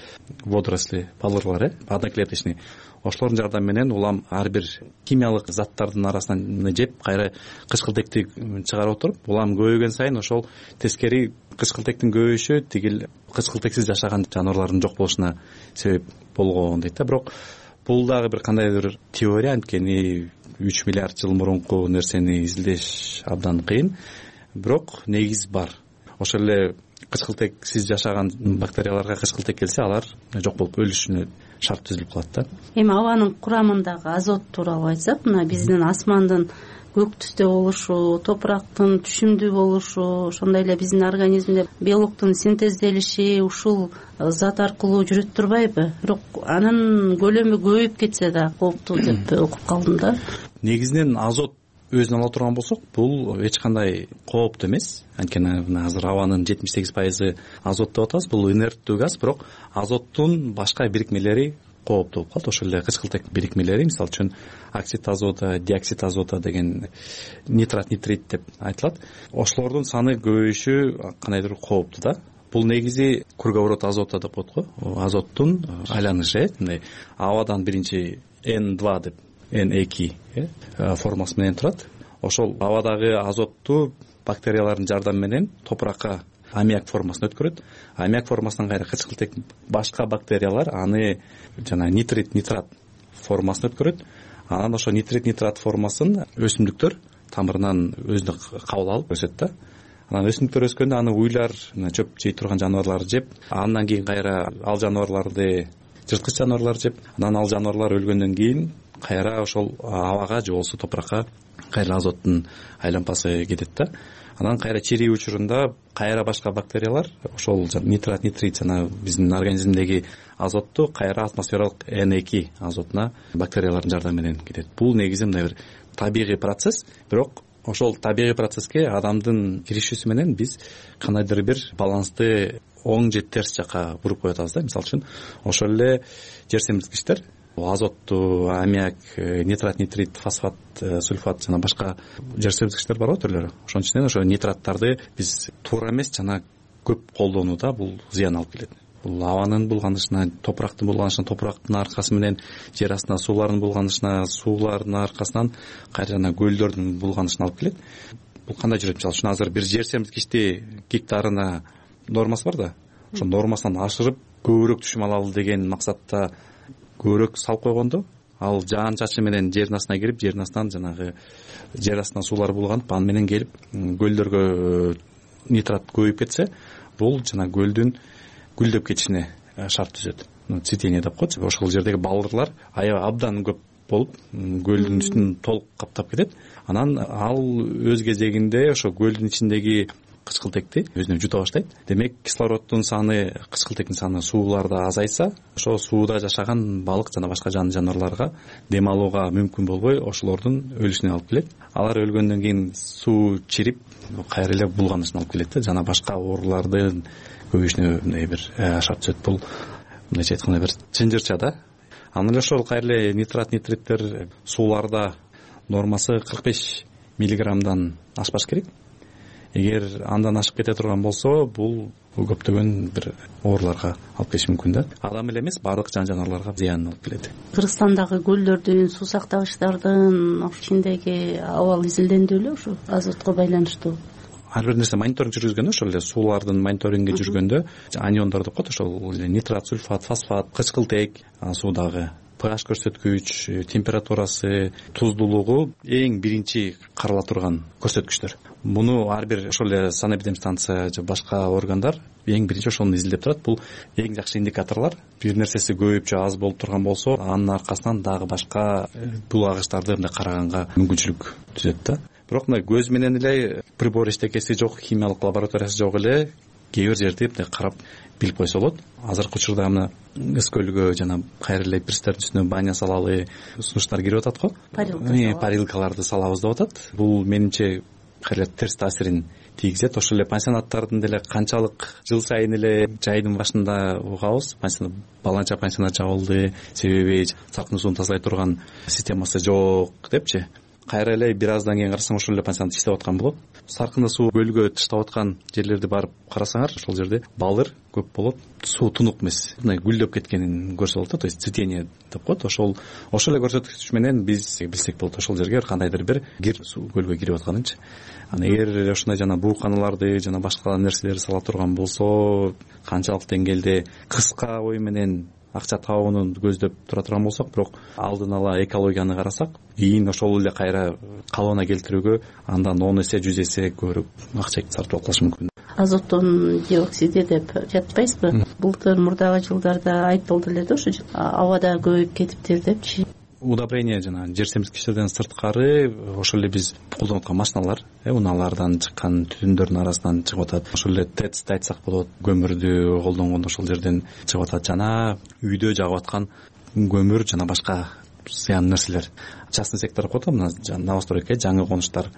водоросли, балырлар, э, одноклеточный, ошолордун жардамы менен улам ар бир химиялык заттардын арасынан жеп, кайра кычкылтекти чыгарып отуруп, улам көбөйгөн сайын ошол тескери кычкылтектин көбөйүшү тигил кычкылтексиз жашаган жаныбарлардын жок болушуна себеп болгон дейт да. Бирок бул дагы бир кандайдыр теория, анткени үч миллиард жыл мурунку нерсени изилдеш абдан кыйын. Бирок негиз бар. Ошол эле кычкылтексиз жашаган бактерияларга кычкылтек келсе, алар жок болуп өлүшүнө шарт түзүлүп калат да. Эми абанын курамындагы азот тууралуу айтсак, мына биздин асмандын көк түстө болушу, топурактын түшүмдүү болушу, ошондой эле биздин организмде белоктун синтезделиши ушул зат аркылуу жүрөт турбайбы? Бирок анын көлөмү көбөйүп кетсе да кооптуу деп окуп калдым да. Негизинен азот өзүн ала турган болсок, бул эч кандай кооптуу эмес. Анткени азыр абанын жетимиш сегиз пайызы азот деп атабыз. Бул инерттүү газ, бирок азоттун башка бирикмелери кооптуу болуп калат. Ошол эле кычкылтек бирикмелери, мисалы үчүн оксид азота, диоксид азота деген, нитрат, нитрит деп айтылат. Ошолордун саны көбөйүшү кандайдыр кооптуу да. Бул негизи круговорот азота деп коет го. Азоттун айланышы, мындай абадан биринчи эн два деп, эн эки формасы менен турат. Ошол абадагы азотту бактериялардын жардамы менен топуракка аммиак формасына өткөрөт. Аммиак формасынан кайра кычкылтек башка бактериялар аны жана нитрит, нитрат формасына өткөрөт. Анан ошо нитрит, нитрат формасын өсүмдүктөр тамырынан өзүнө кабыл алып өсөт да. Анан өсүмдүктөр өскөндө аны уйлар, чөп жей турган жаныбарлар жеп, андан кийин кайра ал жаныбарларды жырткыч жаныбарлар жеп, анан ал жаныбарлар өлгөндөн кийин кайра ошол абага же болбосо топуракка кайра азоттун айланпасы кетет да. Анан кайра чирий учурунда кайра башка бактериялар ошол нитрат, нитрит жана биздин организмдеги азотту кайра атмосфералык эн эки азотуна бактериялардын жардамы менен кетет. Бул негизи мындай бир табигый процесс, бирок ошол табигый процесске адамдын киришүүсү менен биз кандайдыр бир балансты оң же терс жакка буруп коюп атабыз да. Мисалы үчүн ошол эле жер семирткичтер азотту, аммиак, нитрат, нитрит, фосфат, сульфат жана башка жер семирткичтер бар го түрлөрү. Ошон үчүн ошо нитраттарды биз туура эмес жана көп колдонууда бул зыян алып келет. Бул абанын булганышына, топурактын булганышына, топурактын аркасы менен жер астына суулардын булганышына, суулардын аркасынан кайра жана көлдөрдүн булганышына алып келет. Бул кандай жүрөт? Мисалы үчүн азыр бир жер семирткичти гектарына нормасы бар да. Ошо нормасынан ашырып көбүрөөк түшүм алалы деген максатта көбүрөөк салып койгондо, ал жаан чачы менен жердин астына кирип, жердин астынан жанагы жер астынан суулар булганып, аны менен келип көлдөргө нитрат көбөйүп кетсе, бул жана көлдүн гүлдөп кетишине шарт түзөт. Цветение деп коет. Ошол жердеги балдырлар аябай абдан көп болуп, көлдүн үстүн толук каптап кетет. Анан ал өз кезегинде ошо көлдүн ичиндеги кычкылтекти өзүнө жута баштайт. Демек кислороддун саны, кычкылтектин саны сууларда азайса, ошо сууда жашаган балык жана башка жан жаныбарларга дем алууга мүмкүн болбой ошолордун өлүшүнө алып келет. Алар өлгөндөн кийин суу чирип кайра эле булганышына алып келет да, жана башка оорулардын көбөйүшүнө мындай бир ашап түзөт. Бул мындайча айтканда бир чынжырча да. Анан эле ошол кайра эле нитрат, нитриттер сууларда нормасы кырк беш миллиграммдан ашпаш керек. Эгер андан ашып кете турган болсо, бул көптөгөн бир ооруларга алып келиши мүмкүн да. Адам эле эмес, баардык жан жаныбарларга зыянын алып келет. Кыргызстандагы көлдөрдүн, суу сактагычтардын ичиндеги абал изилденди беле ушу азотко байланыштуу? Ар бир нерсе мониторинг жүргүзгөндө, ошол эле суулардын мониторинги жүргөндө аниондор деп коет, ошол нитрат, сульфат, фосфат, кычкылтек, суудагы pH көрсөткүч, температурасы, туздуулугу эң биринчи карала турган көрсөткүчтөр. Муну ар бир ошол эле санэпидемстанция же башка органдар эң биринчи ошону изилдеп турат. Бул эң жакшы индикаторлор. Бир нерсеси көбөйүп же аз болуп турган болсо, анын аркасынан дагы башка бул агычтарды мындай караганга мүмкүнчүлүк түзөт да. Бирок мына көз менен эле прибор иштекеси жок, химиялык лабораториясы жок эле кээ бир жерде мындай карап билип койсо болот. Азыркы учурда мына Ыс көлгө жана кайра эле пирстердин үстүнө баня салалы сунуштар кирип атат го. Парилкаларды салабыз деп атат. Бул менимче кайра терс таасирин тийгизет. Ошол эле пансионаттардын деле канчалык жыл сайын эле жайдын башында угабыз, пансионат баланча пансионат жабылды, себеби салкын сууну тазалай турган системасы жок депчи. Кайра эле бир аздан кийин карасаң ошол эле пансионат иштеп аткан болот. Саркында суу көлгө таштап аткан жерлерди барып карасаңар, ошол жерде балыр көп болот. Суу тунук эмес, мындай гүлдөп кеткенин көрсө болот да, то есть цветение деп коет. Ошол ошол эле көрсөткүч менен биз билсек болот ошол жерге кандайдыр бир кир суу көлгө кирип атканынчы. Анан эгер ошондой жана бууканаларды жана башка нерселерди сала турган болсо, канчалык деңгээлде кыска ой менен акча табууну көздөп тура турган болсок, бирок алдын ала экологияны карасак, ийин ошол эле кайра калыбына келтирүүгө андан он эсе, жүз эсе көбүрөөк акча сарптап калыш мүмкүн. Азоттун диоксиди деп жатпайсызбы? Былтыр мурдагы жылдарда айтылды эле да, ошо абада көбөйүп кетиптир депчи. Удобрение жана жер семирткичтерден сырткары ошол эле биз колдонуп аткан машиналар, унаалардан чыккан түтүндөрдүн арасынан чыгып атат. Ошол эле тэц айтсак болот, көмүрдү колдонгондо ошол жерден чыгып атат жана үйдө жагып аткан көмүр жана башка зыян нерселер. Частный сектор коет, мына новостройка, жаңы конуштар.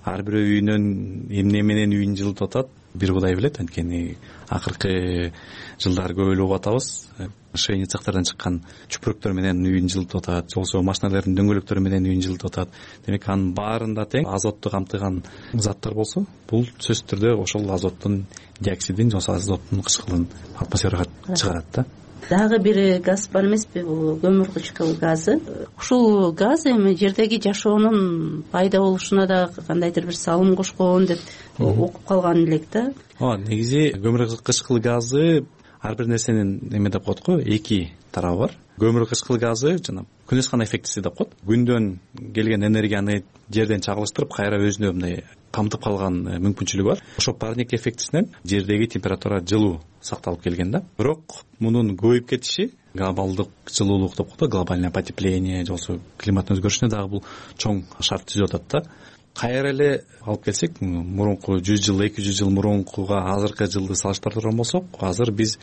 Ар бир үйүнөн эмне менен үйүн жылытып атат, бир Кудай билет. Анткени акыркы жылдары көп эле угуп атабыз. Шейни цехтардан чыккан чүпүрөктөр менен үйүн жылытып атат, болсо машиналардын дөңгөлөктөрү менен үйүн жылытып атат. Демек анын баарында тең азотту камтыган заттар болсо, бул сөзсүз түрдө ошол азоттун диоксидин, жана азоттун кычкылын атмосферага чыгарат да. Дагы бир газ бар эмеспи, бул көмүр кычкыл газы. Ушул газ эми жердеги жашоонун пайда болушуна да кандайдыр бир салым кошкон деп окуп калган элек да. Ооба, негизи көмүр кычкыл газы ар бир нерсенин эме деп коет го, эки тарабы бар. Көмүр кычкыл газы жана күнөс кана эффектиси деп коет. Күндөн келген энергияны жерден чагылыштырып, кайра өзүнө мындай камтып калган мүмкүнчүлүгү бар. Ошо парник эффектисинен жердеги температура жылуу сакталып келген да. Бирок мунун көбөйүп кетиши, глобалдык жылуулук деп коет, глобальное потепление, же болбосо климаттын өзгөрүшүнө дагы бул чоң шарт түзүп атат да. Кайра эле алып келсек, мурунку жүз жыл, эки жүз жыл мурункуга азыркы жылды салыштырып турган болсок, азыр биз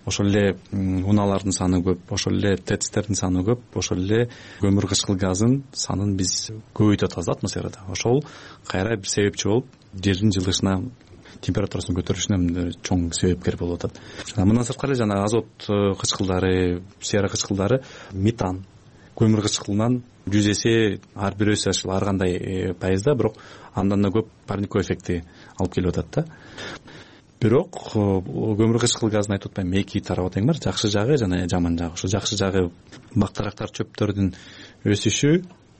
ошол эле унаалардын саны көп, ошол эле тэцтердин саны көп, ошол эле көмүр кычкыл газын санын биз көбөйтүп атабыз атмосферада. Ошол кайра бир себепчи болуп, жердин жылышына, температурасынын көтөрүлүшүнө чоң себепкер болуп атат. Жана мындан сырткары жана азот кычкылдары, сера кычкылдары, метан, көмүр кычкылынан жүз эсе, ар бир эсе ар кандай пайызда, бирок андан да көп парниковый эффекти алып келип атат да. Бирок көмүр кычкыл газын айтып атпайм, эки тарабы тең бар, жакшы жагы жана жаман жагы. Ошо жакшы жагы бактарактар, чөптөрдүн өсүшү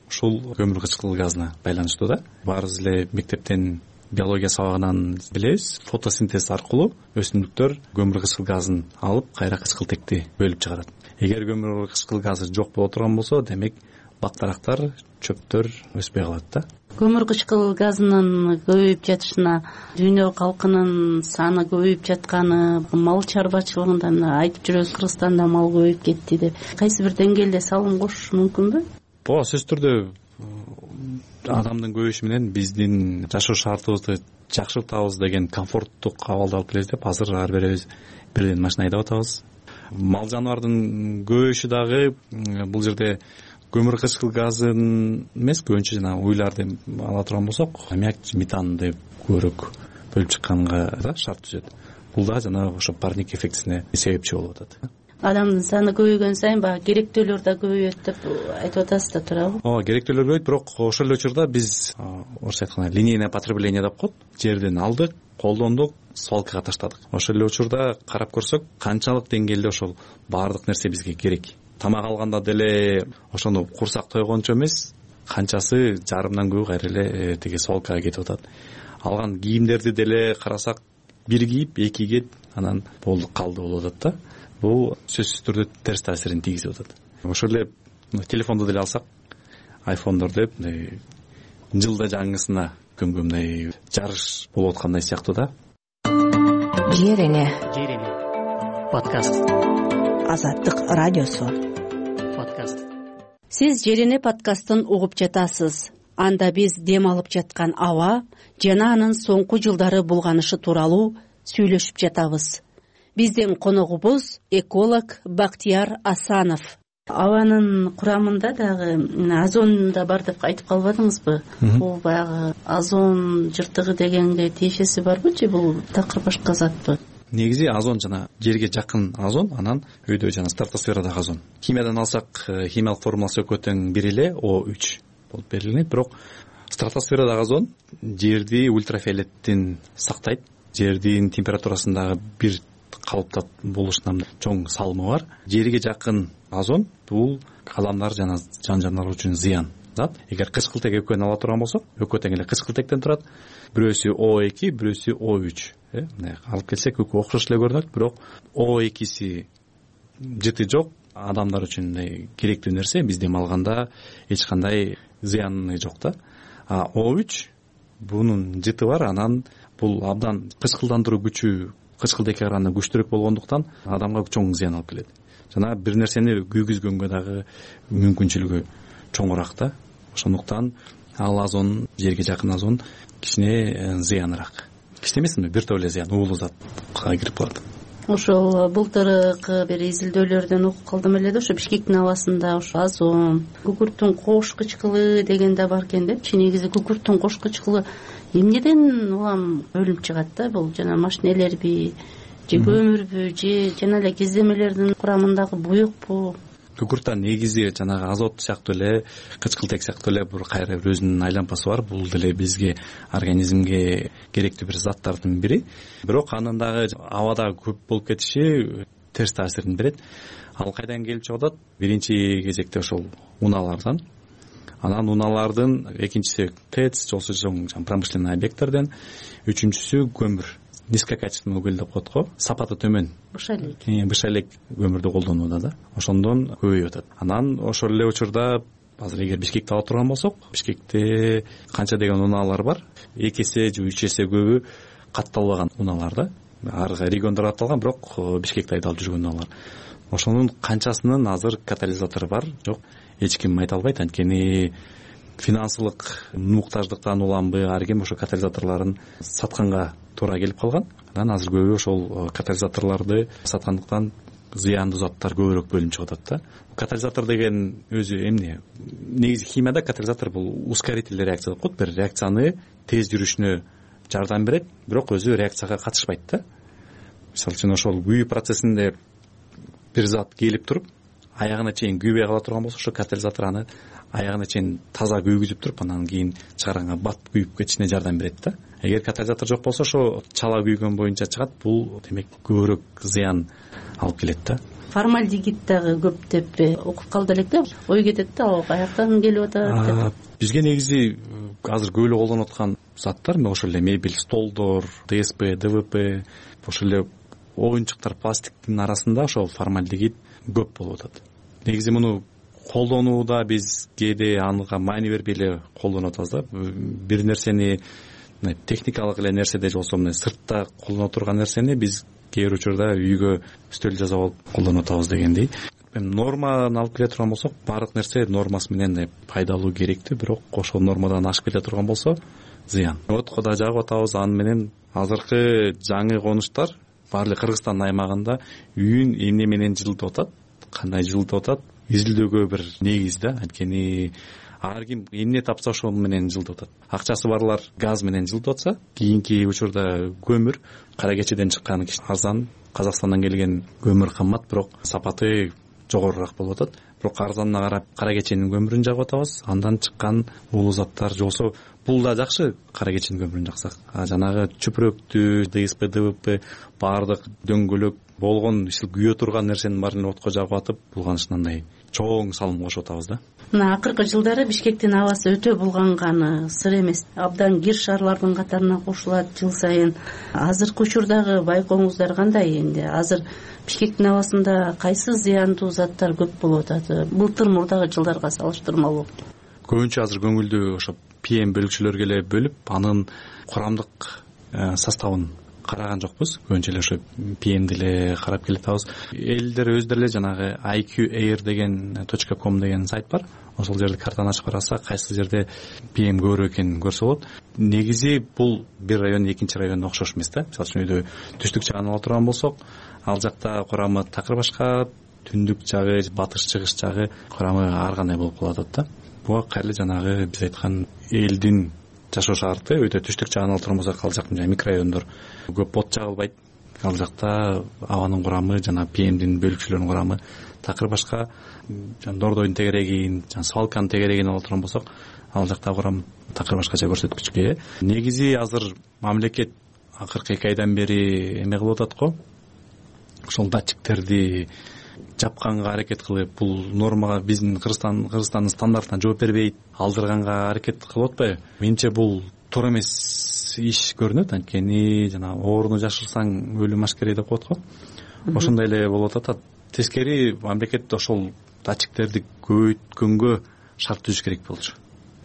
ушул көмүр кычкыл газына байланыштуу да. Баарыбыз эле мектептен биология сабагынан билебиз, фотосинтез аркылуу өсүмдүктөр көмүр кычкыл газын алып, кайра кычкылтекти бөлүп чыгарат. Эгер көмүр кычкыл газы жок боло турган болсо, демек бактарактар, чөптөр өспөй калат да. Көмүр кычкыл газынын көбөйүп жатышына дүйнө калкынын саны көбөйүп жатканы, мал чарбачылыгында айтып жүрөбүз, Кыргызстанда мал көбөйүп кетти деп. Кайсы бир деңгээлде салым кошуш мүмкүнбү? Ооба, сөзсүз түрдө адамдын көбөйүшү менен биздин жашоо шартыбызды жакшыртабыз деген комфорттук абалды алып келебиз деп азыр ар бирибиз бирден машина айдап атабыз. Мал жаныбардын көбөйүшү дагы бул жерде көмүр кычкыл газын эмес, көбүнчө жана уйларды ала турган болсок, аммиак, метанды көбүрөөк бөлүп чыкканга шарт түзөт. Бул да жана ошо парник эффектисине себепчи болуп атат. Адамдын саны көбөйгөн сайын баягы керектөөлөр да көбөйөт деп айтып атасыз да, туурабы? Ооба, керектөөлөр көбөйт, бирок ошол эле учурда биз орусча айтканда линейное потребление деп коет. Жерден алдык, колдондук, свалкага таштадык. Ошол эле учурда карап көрсөк, канчалык деңгээлде ошол баардык нерсе бизге керек. Тамак алганда деле ошону курсак тойгончо эмес, канчасы жарымдан көбү кайра эле тиги свалкага кетип атат. Алган кийимдерди деле карасак, бир кийип, эки кийет, анан болду калды болуп атат да. Бул сөзсүз түрдө терс таасирин тийгизип атат. Ошол эле телефонду деле алсак, айфондорду мындай жылда жаңысына көмгө мындай жарыш болуп аткандай сыяктуу да. Жерене. Жерене. Подкаст. Азаттык радиосу. Подкаст. Сиз Жерене подкастын угуп жатасыз. Анда биз дем алып жаткан аба жана анын соңку жылдары булганышы тууралуу сүйлөшүп жатабыз. Биздин коногубуз эколог Бактияр Асанов. Абанын курамында дагы озон да бар деп айтып калбадыңызбы? Бул баягы озон жыртыгы дегенге тиешеси барбы же бул такыр башка затпы? Негизи озон жана жерге жакын озон, анан өйдө жана стратосферадагы озон. Химиядан алсак, химиялык формуласы экөө тең бир эле О үч болуп берилет, бирок стратосферадагы озон жерди ультрафиолеттен сактайт. Жердин температурасындагы бир калыпта болушунан чоң салымы бар. Жерге жакын озон бул адамдар жана жан жаныбарлар үчүн зыян зат. Эгер кычкылтек экөөнү ала турган болсок, экөө тең эле кычкылтектен турат. Бирөөсү О эки, бирөөсү О үч. Э, мына алып келсек экөө окшош эле көрүнөт, бирок О экиси жыты жок, адамдар үчүн мындай керектүү нерсе, биз дем алганда эч кандай зыяны жок да. А О үч бунун жыты бар, анан бул абдан кычкылдандыруу күчү кычкылтекке караганда күчтүүрөөк болгондуктан адамга чоң зыян алып келет. Жана бир нерсени күйгүзгөнгө дагы мүмкүнчүлүгү чоңураак да. Ошондуктан ал озон, жерге жакын озон кичине зыяныраак. Кичине эмесми, бир топ эле зыян, уулуу затка кирип калат. Ошол былтыркы бир изилдөөлөрдөн угуп калдым эле да, ошо Бишкектин абасында ошо озон, күкүрттүн кош кычкылы деген да бар экен депчи. Негизи күкүрттүн кош кычкылы эмнеден улам бөлүнүп чыгат да? Бул жана машинелерби же көмүрбү же жана эле кездемелердин курамындагы буюкпу? Күкүрттө негизи жанагы азот сыяктуу эле, кычкылтек сыяктуу эле бир кайра бир өзүнүн айлампасы бар. Бул деле бизге, организмге керектүү бир заттардын бири. Бирок анын дагы абада көп болуп кетиши терс таасирин берет. Ал кайдан келип чыгып атат? Биринчи кезекте ошол унаалардан. Анан унаалардын экинчиси ТЭЦ, жолсу чоң промышленный объекттерден, үчүнчүсү көмүр. Низкокачественный уголь деп коет го, сапаты төмөн. Бышалек. Бышалек көмүрдү колдонууда да. Ошондон көбөйүп атат. Анан ошол эле учурда азыр эгер Бишкекти ала турган болсок, Бишкекте канча деген унаалар бар? эки эсе же үч эсе көбү катталбаган унаалар да. Ар региондор аталган, бирок Бишкекте айдалып жүргөн унаалар. Ошонун канчасынын азыр катализатору бар, жок? Эч ким айта албайт, анткени финансылык муктаждыктан уламбы, ар ким ошо катализаторлорун сатканга туура келип калган. Анан азыр көбү ошол катализаторлорду саткандыктан зыяндуу заттар көбүрөөк бөлүнүп чыгып атат да. Катализатор деген өзү эмне? Негизи химияда катализатор бул ускорительный реакция деп коет. Бир реакцияны тез жүрүшүнө жардам берет, бирок өзү реакцияга катышпайт да. Мисалы үчүн ошол күйүү процессинде бир зат келип туруп, аягына чейин күйбөй кала турган болсо, ошо катализатор аны аягына чейин таза күйгүзүп туруп, анан кийин чыгарганга бат күйүп кетишине жардам берет да. Эгер катализатор жок болсо, ошо чала күйгөн боюнча чыгат. Бул демек көбүрөөк зыян алып келет да. Формальдегид дагы көп деп окуп калды элек да. Ой кетет да, ал каяктан келип атат деп. Бизге негизи азыр көп эле колдонуп аткан заттар, ошол эле мебель, столдор, ДСП, ДВП, ошол эле оюнчуктар, пластиктин арасында ошол формальдегид көп болуп атат. Негизи муну колдонууда биз кээде анга маани бербей эле колдонуп атабыз да. Бир нерсени техникалык эле нерседе же болбосо мына сыртта колдоно турган нерсени биз кээ бир учурда үйгө стөл жасап алып колдонуп атабыз дегендей. эми норманы алып келе турган болсок, баардык нерсе нормасы менен пайдалуу керектүү, бирок ошол нормадан ашып келе турган болсо зыян. Отко да жагып атабыз. Аны менен азыркы жаңы конуштар баары эле Кыргызстандын аймагында үйүн эмне менен жылытып атат, кандай жылытып атат, изилдөөгө бир негиз да. Анткени ар ким эмне тапса ошол менен жылытып атат. Акчасы барлар газ менен жылытып атса, кийинки учурда көмүр, кара кечеден чыккан арзан, Казакстандан келген көмүр кымбат, бирок сапаты жогорураак болуп атат. Бирок арзанына карап кара кеченин көмүрүн жагып атабыз. Андан чыккан уулуу заттар жолсо бул да жакшы, кара кеченин көмүрүн жаксак. А жанагы чүпүрөктү, ДСП, ДВП баардык дөңгөлөк болгон ишил күйө турган нерсенин баарын отко жагып атып, булганышындай чоң салым кошуп атабыз да. Мына акыркы жылдары Бишкектин абасы өтө булганганы сыр эмес. Абдан кир шаарлардын катарына кошулат жыл сайын. Азыркы учурдагы байкооңуздар кандай энди? Азыр Бишкектин абасында кайсы зыяндуу заттар көп болуп атат? Былтыр мурдагы жылдарга салыштырмалуу. Көбүнчө азыр көңүлдү ошо пи эм бөлүкчөлөргө эле бөлүп, анын курамдык составын караган жокпуз. Көбүнчө эле ошо пи эмди эле карап келатабыз. Элдер өздөрү эле жанагы ай кью эйр деген точка ком деген сайт бар. Ошол жерде картаны ачып караса, кайсы жерде пи эм көбүрөөк экенин көрсө болот. Негизи бул бир район экинчи районуна окшош эмес да. Мисалы үчүн үйдө түштүк жагын ала турган болсок, ал жакта курамы такыр башка, түндүк жагы, батыш чыгыш жагы курамы ар кандай болуп калып атат да. Буга кайрылы жанагы биз айткан элдин жашоо шарты, өтө түштүк жагын ала турган болсок, ал жактын микрорайондор көп от жагылбайт. Ал жакта абанын курамы, жана пи эмдин бөлүкчөлөрүнүн курамы такыр башка. Жана дордойдун тегерегин, жана свалканын тегерегин ала турган болсок, ал жакта курам такыр башкача көрсөткүчкө. Негизи азыр мамлекет акыркы эки айдан бери эме кылып атат го. Ошол датчиктерди жапканга аракет кылып, бул нормага биздин Кыргызстан Кыргызстандын стандартына жооп бербейт, алдырганга аракет кылып атпайбы? Менимче бул туура эмес иш көрүнөт. Анткени жана ооруну жашырсаң өлүм ашкерей деп коет го. Ошондой эле болуп атат. Тескери мамлекет ошол датчиктерди көбөйткөнгө шарт түзүш керек болчу.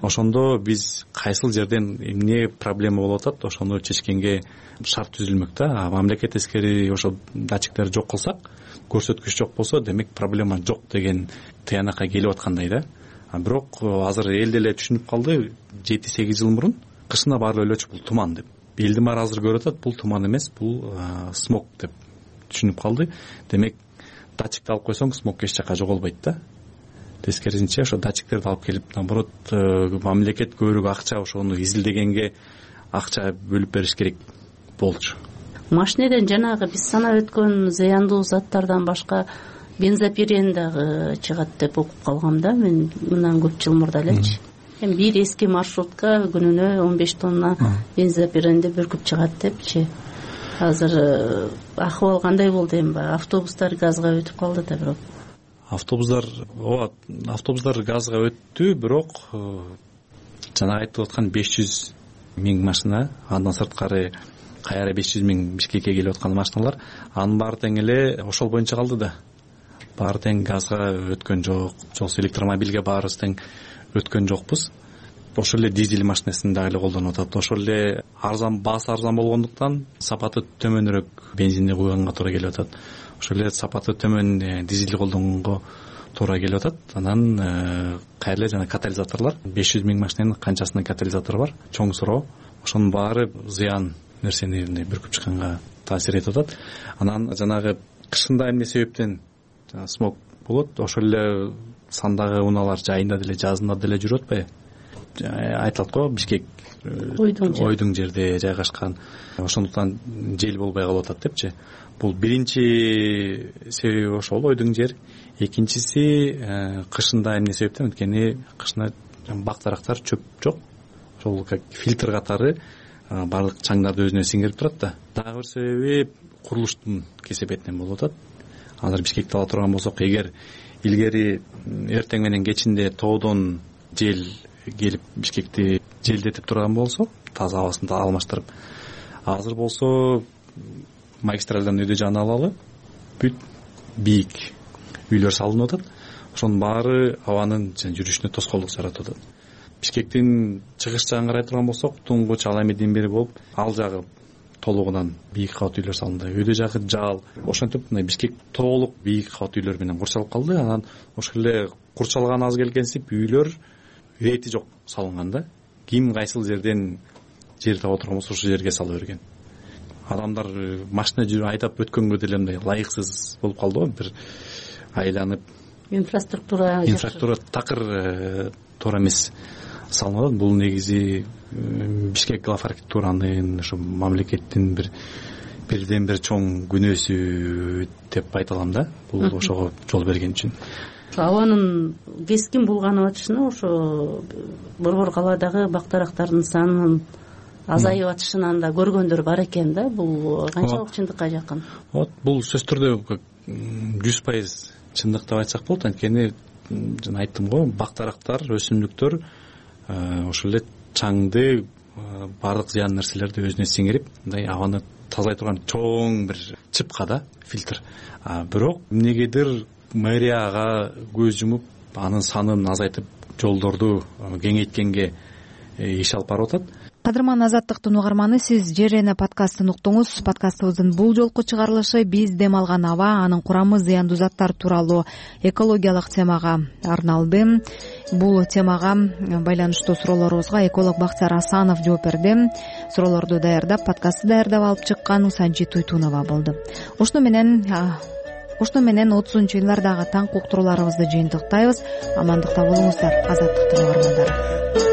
Ошондо биз кайсыл жерден эмне проблема болуп атат, ошону чечкенге шарт түзүлмөк да. А мамлекет тескери ошол датчиктерди жок кылсак, көрсөткүч жок болсо, демек проблема жок деген тыянакка келип аткандай да. А бирок азыр эл деле түшүнүп калды, жети сегиз жыл мурун кышына баары өлөчү бул туман деп. Элдин баары азыр көрүп атат, бул туман эмес, бул смог деп түшүнүп калды. Демек датчикти алып койсоң, смог эч жака жоголбойт да. Тескерисинче ошо датчиктерди алып келип, наоборот, мамлекет көбүрөөк акча ошону изилдегенге акча бөлүп бериш керек болчу. Машинеден жанагы биз санап өткөн зыяндуу заттардан башка бензопирен дагы чыгат деп окуп калгам да мен мындан көп жыл мурда элечи. Эми бир эски маршрутка күнүнө он беш тонна бензопиренди бүркүп чыгат депчи. Азыр акыбал кандай болду эми? Автобустар газга өтүп калды да бирок. Автобустар, ооба, автобустар газга өттү, бирок жанагы айтып аткан беш жүз миң машина, андан сырткары кайра беш жүз миң Бишкекке келип аткан машиналар, анын баары тең эле ошол боюнча калды да. Баары тең газга өткөн жок, жолсу электромобилге баарыбыз тең өткөн жокпуз. Ошол эле дизель машинасын дагы эле колдонуп атат. Ошол эле арзан, баасы арзан болгондуктан сапаты төмөнүрөөк бензинди куйганга туура келип атат. Ошол эле сапаты төмөн дизелди колдонгонго туура келип атат. Анан кайра эле жана катализаторлор, беш жүз миң машинанын канчасынын катализатору бар, чоң суроо. Ошонун баары зыян нерсени бүркүп чыкканга таасир этип атат. Анан жанагы кышында эмне себептен смог болот, ошол эле сандагы унаалар жайында деле, жазында деле жүрүп атпайбы? Айтылат го, Бишкек ойдуң жерде жайгашкан. Ошондуктан жел болбой калып атат депчи. Бул биринчи себеби ошол ойдуң жер. Экинчиси кышында эмне себептен? Анткени кышында бак дарактар, чөп жок. Ошол как фильтр катары баардык чаңдарды өзүнө сиңирип турат да. Дагы бир себеби курулуштун кесепетинен болуп атат. Азыр Бишкекти ала турган болсок, эгер илгери эртең менен кечинде тоодон жел келип Бишкекти желдетип турган болсо, таза абасын алмаштырып, азыр болсо магистралдан өйдө жагын алалы бүт бийик үйлөр салынып атат. Ошонун баары абанын жүрүшүнө тоскоолдук жаратып атат. Бишкектин чыгыш жагын карай турган болсок, туңгуч ал эмеден бери болуп, ал жагы толугунан бийик кабат үйлөр салынды, өйдө жагы жаал. Ошентип мына Бишкек толук бийик кабат үйлөр менен курчалып калды. Анан ошол эле курчалган аз келгенсип үйлөр ирети жок салынган да. Ким кайсыл жерден жер таап отурган болсо ошол жерге сала берген. Адамдар машина жүрүп айдап өткөнгө деле мындай ылайыксыз болуп калды го. Бир айланып инфраструктура инфраструктура такыр туура эмес салынып. Бул негизи Бишкек глав архитектуранын ошо мамлекеттин бир бирден бир чоң күнөөсү деп айта алам да. Бул ошого жол берген үчүн. Абанын кескин булганып атышына ошо Борбор калаадагы бак-дарактардын санынын азайып атышынан да көргөндөр бар экен да. Бул канчалык чындыкка жакын? Вот бул сөзсүз түрдө жүз пайыз чындык деп айтсак болот. Анткени жана айттым го, бак-дарактар, өсүмдүктөр ошол эле чаңды, баардык зыян нерселерди өзүнө сиңирип, мындай абаны тазалай турган чоң бир чыпка да, фильтр. Бирок эмнегедир мэрияга көз жумуп, анын санын азайтып, жолдорду кеңейткенге иш алып барып атат. Кадырман Азаттыктын угарманы, сиз Жерене подкастын уктуңуз. Подкастыбыздын бул жолку чыгарылышы биз дем алган аба, анын курамы, зыяндуу заттар тууралуу экологиялык темага арналды. Бул темага байланыштуу суроолорубузга эколог Бактияр Асанов жооп берди. Суроолорду даярдап, подкастты даярдап алып чыккан Санжи Туйтунова болду. Ошону менен Ошону менен отузунчу январдагы таң уктурууларыбызды жыйынтыктайбыз. Амандыкта болуңуздар, Азаттыктын угармандары.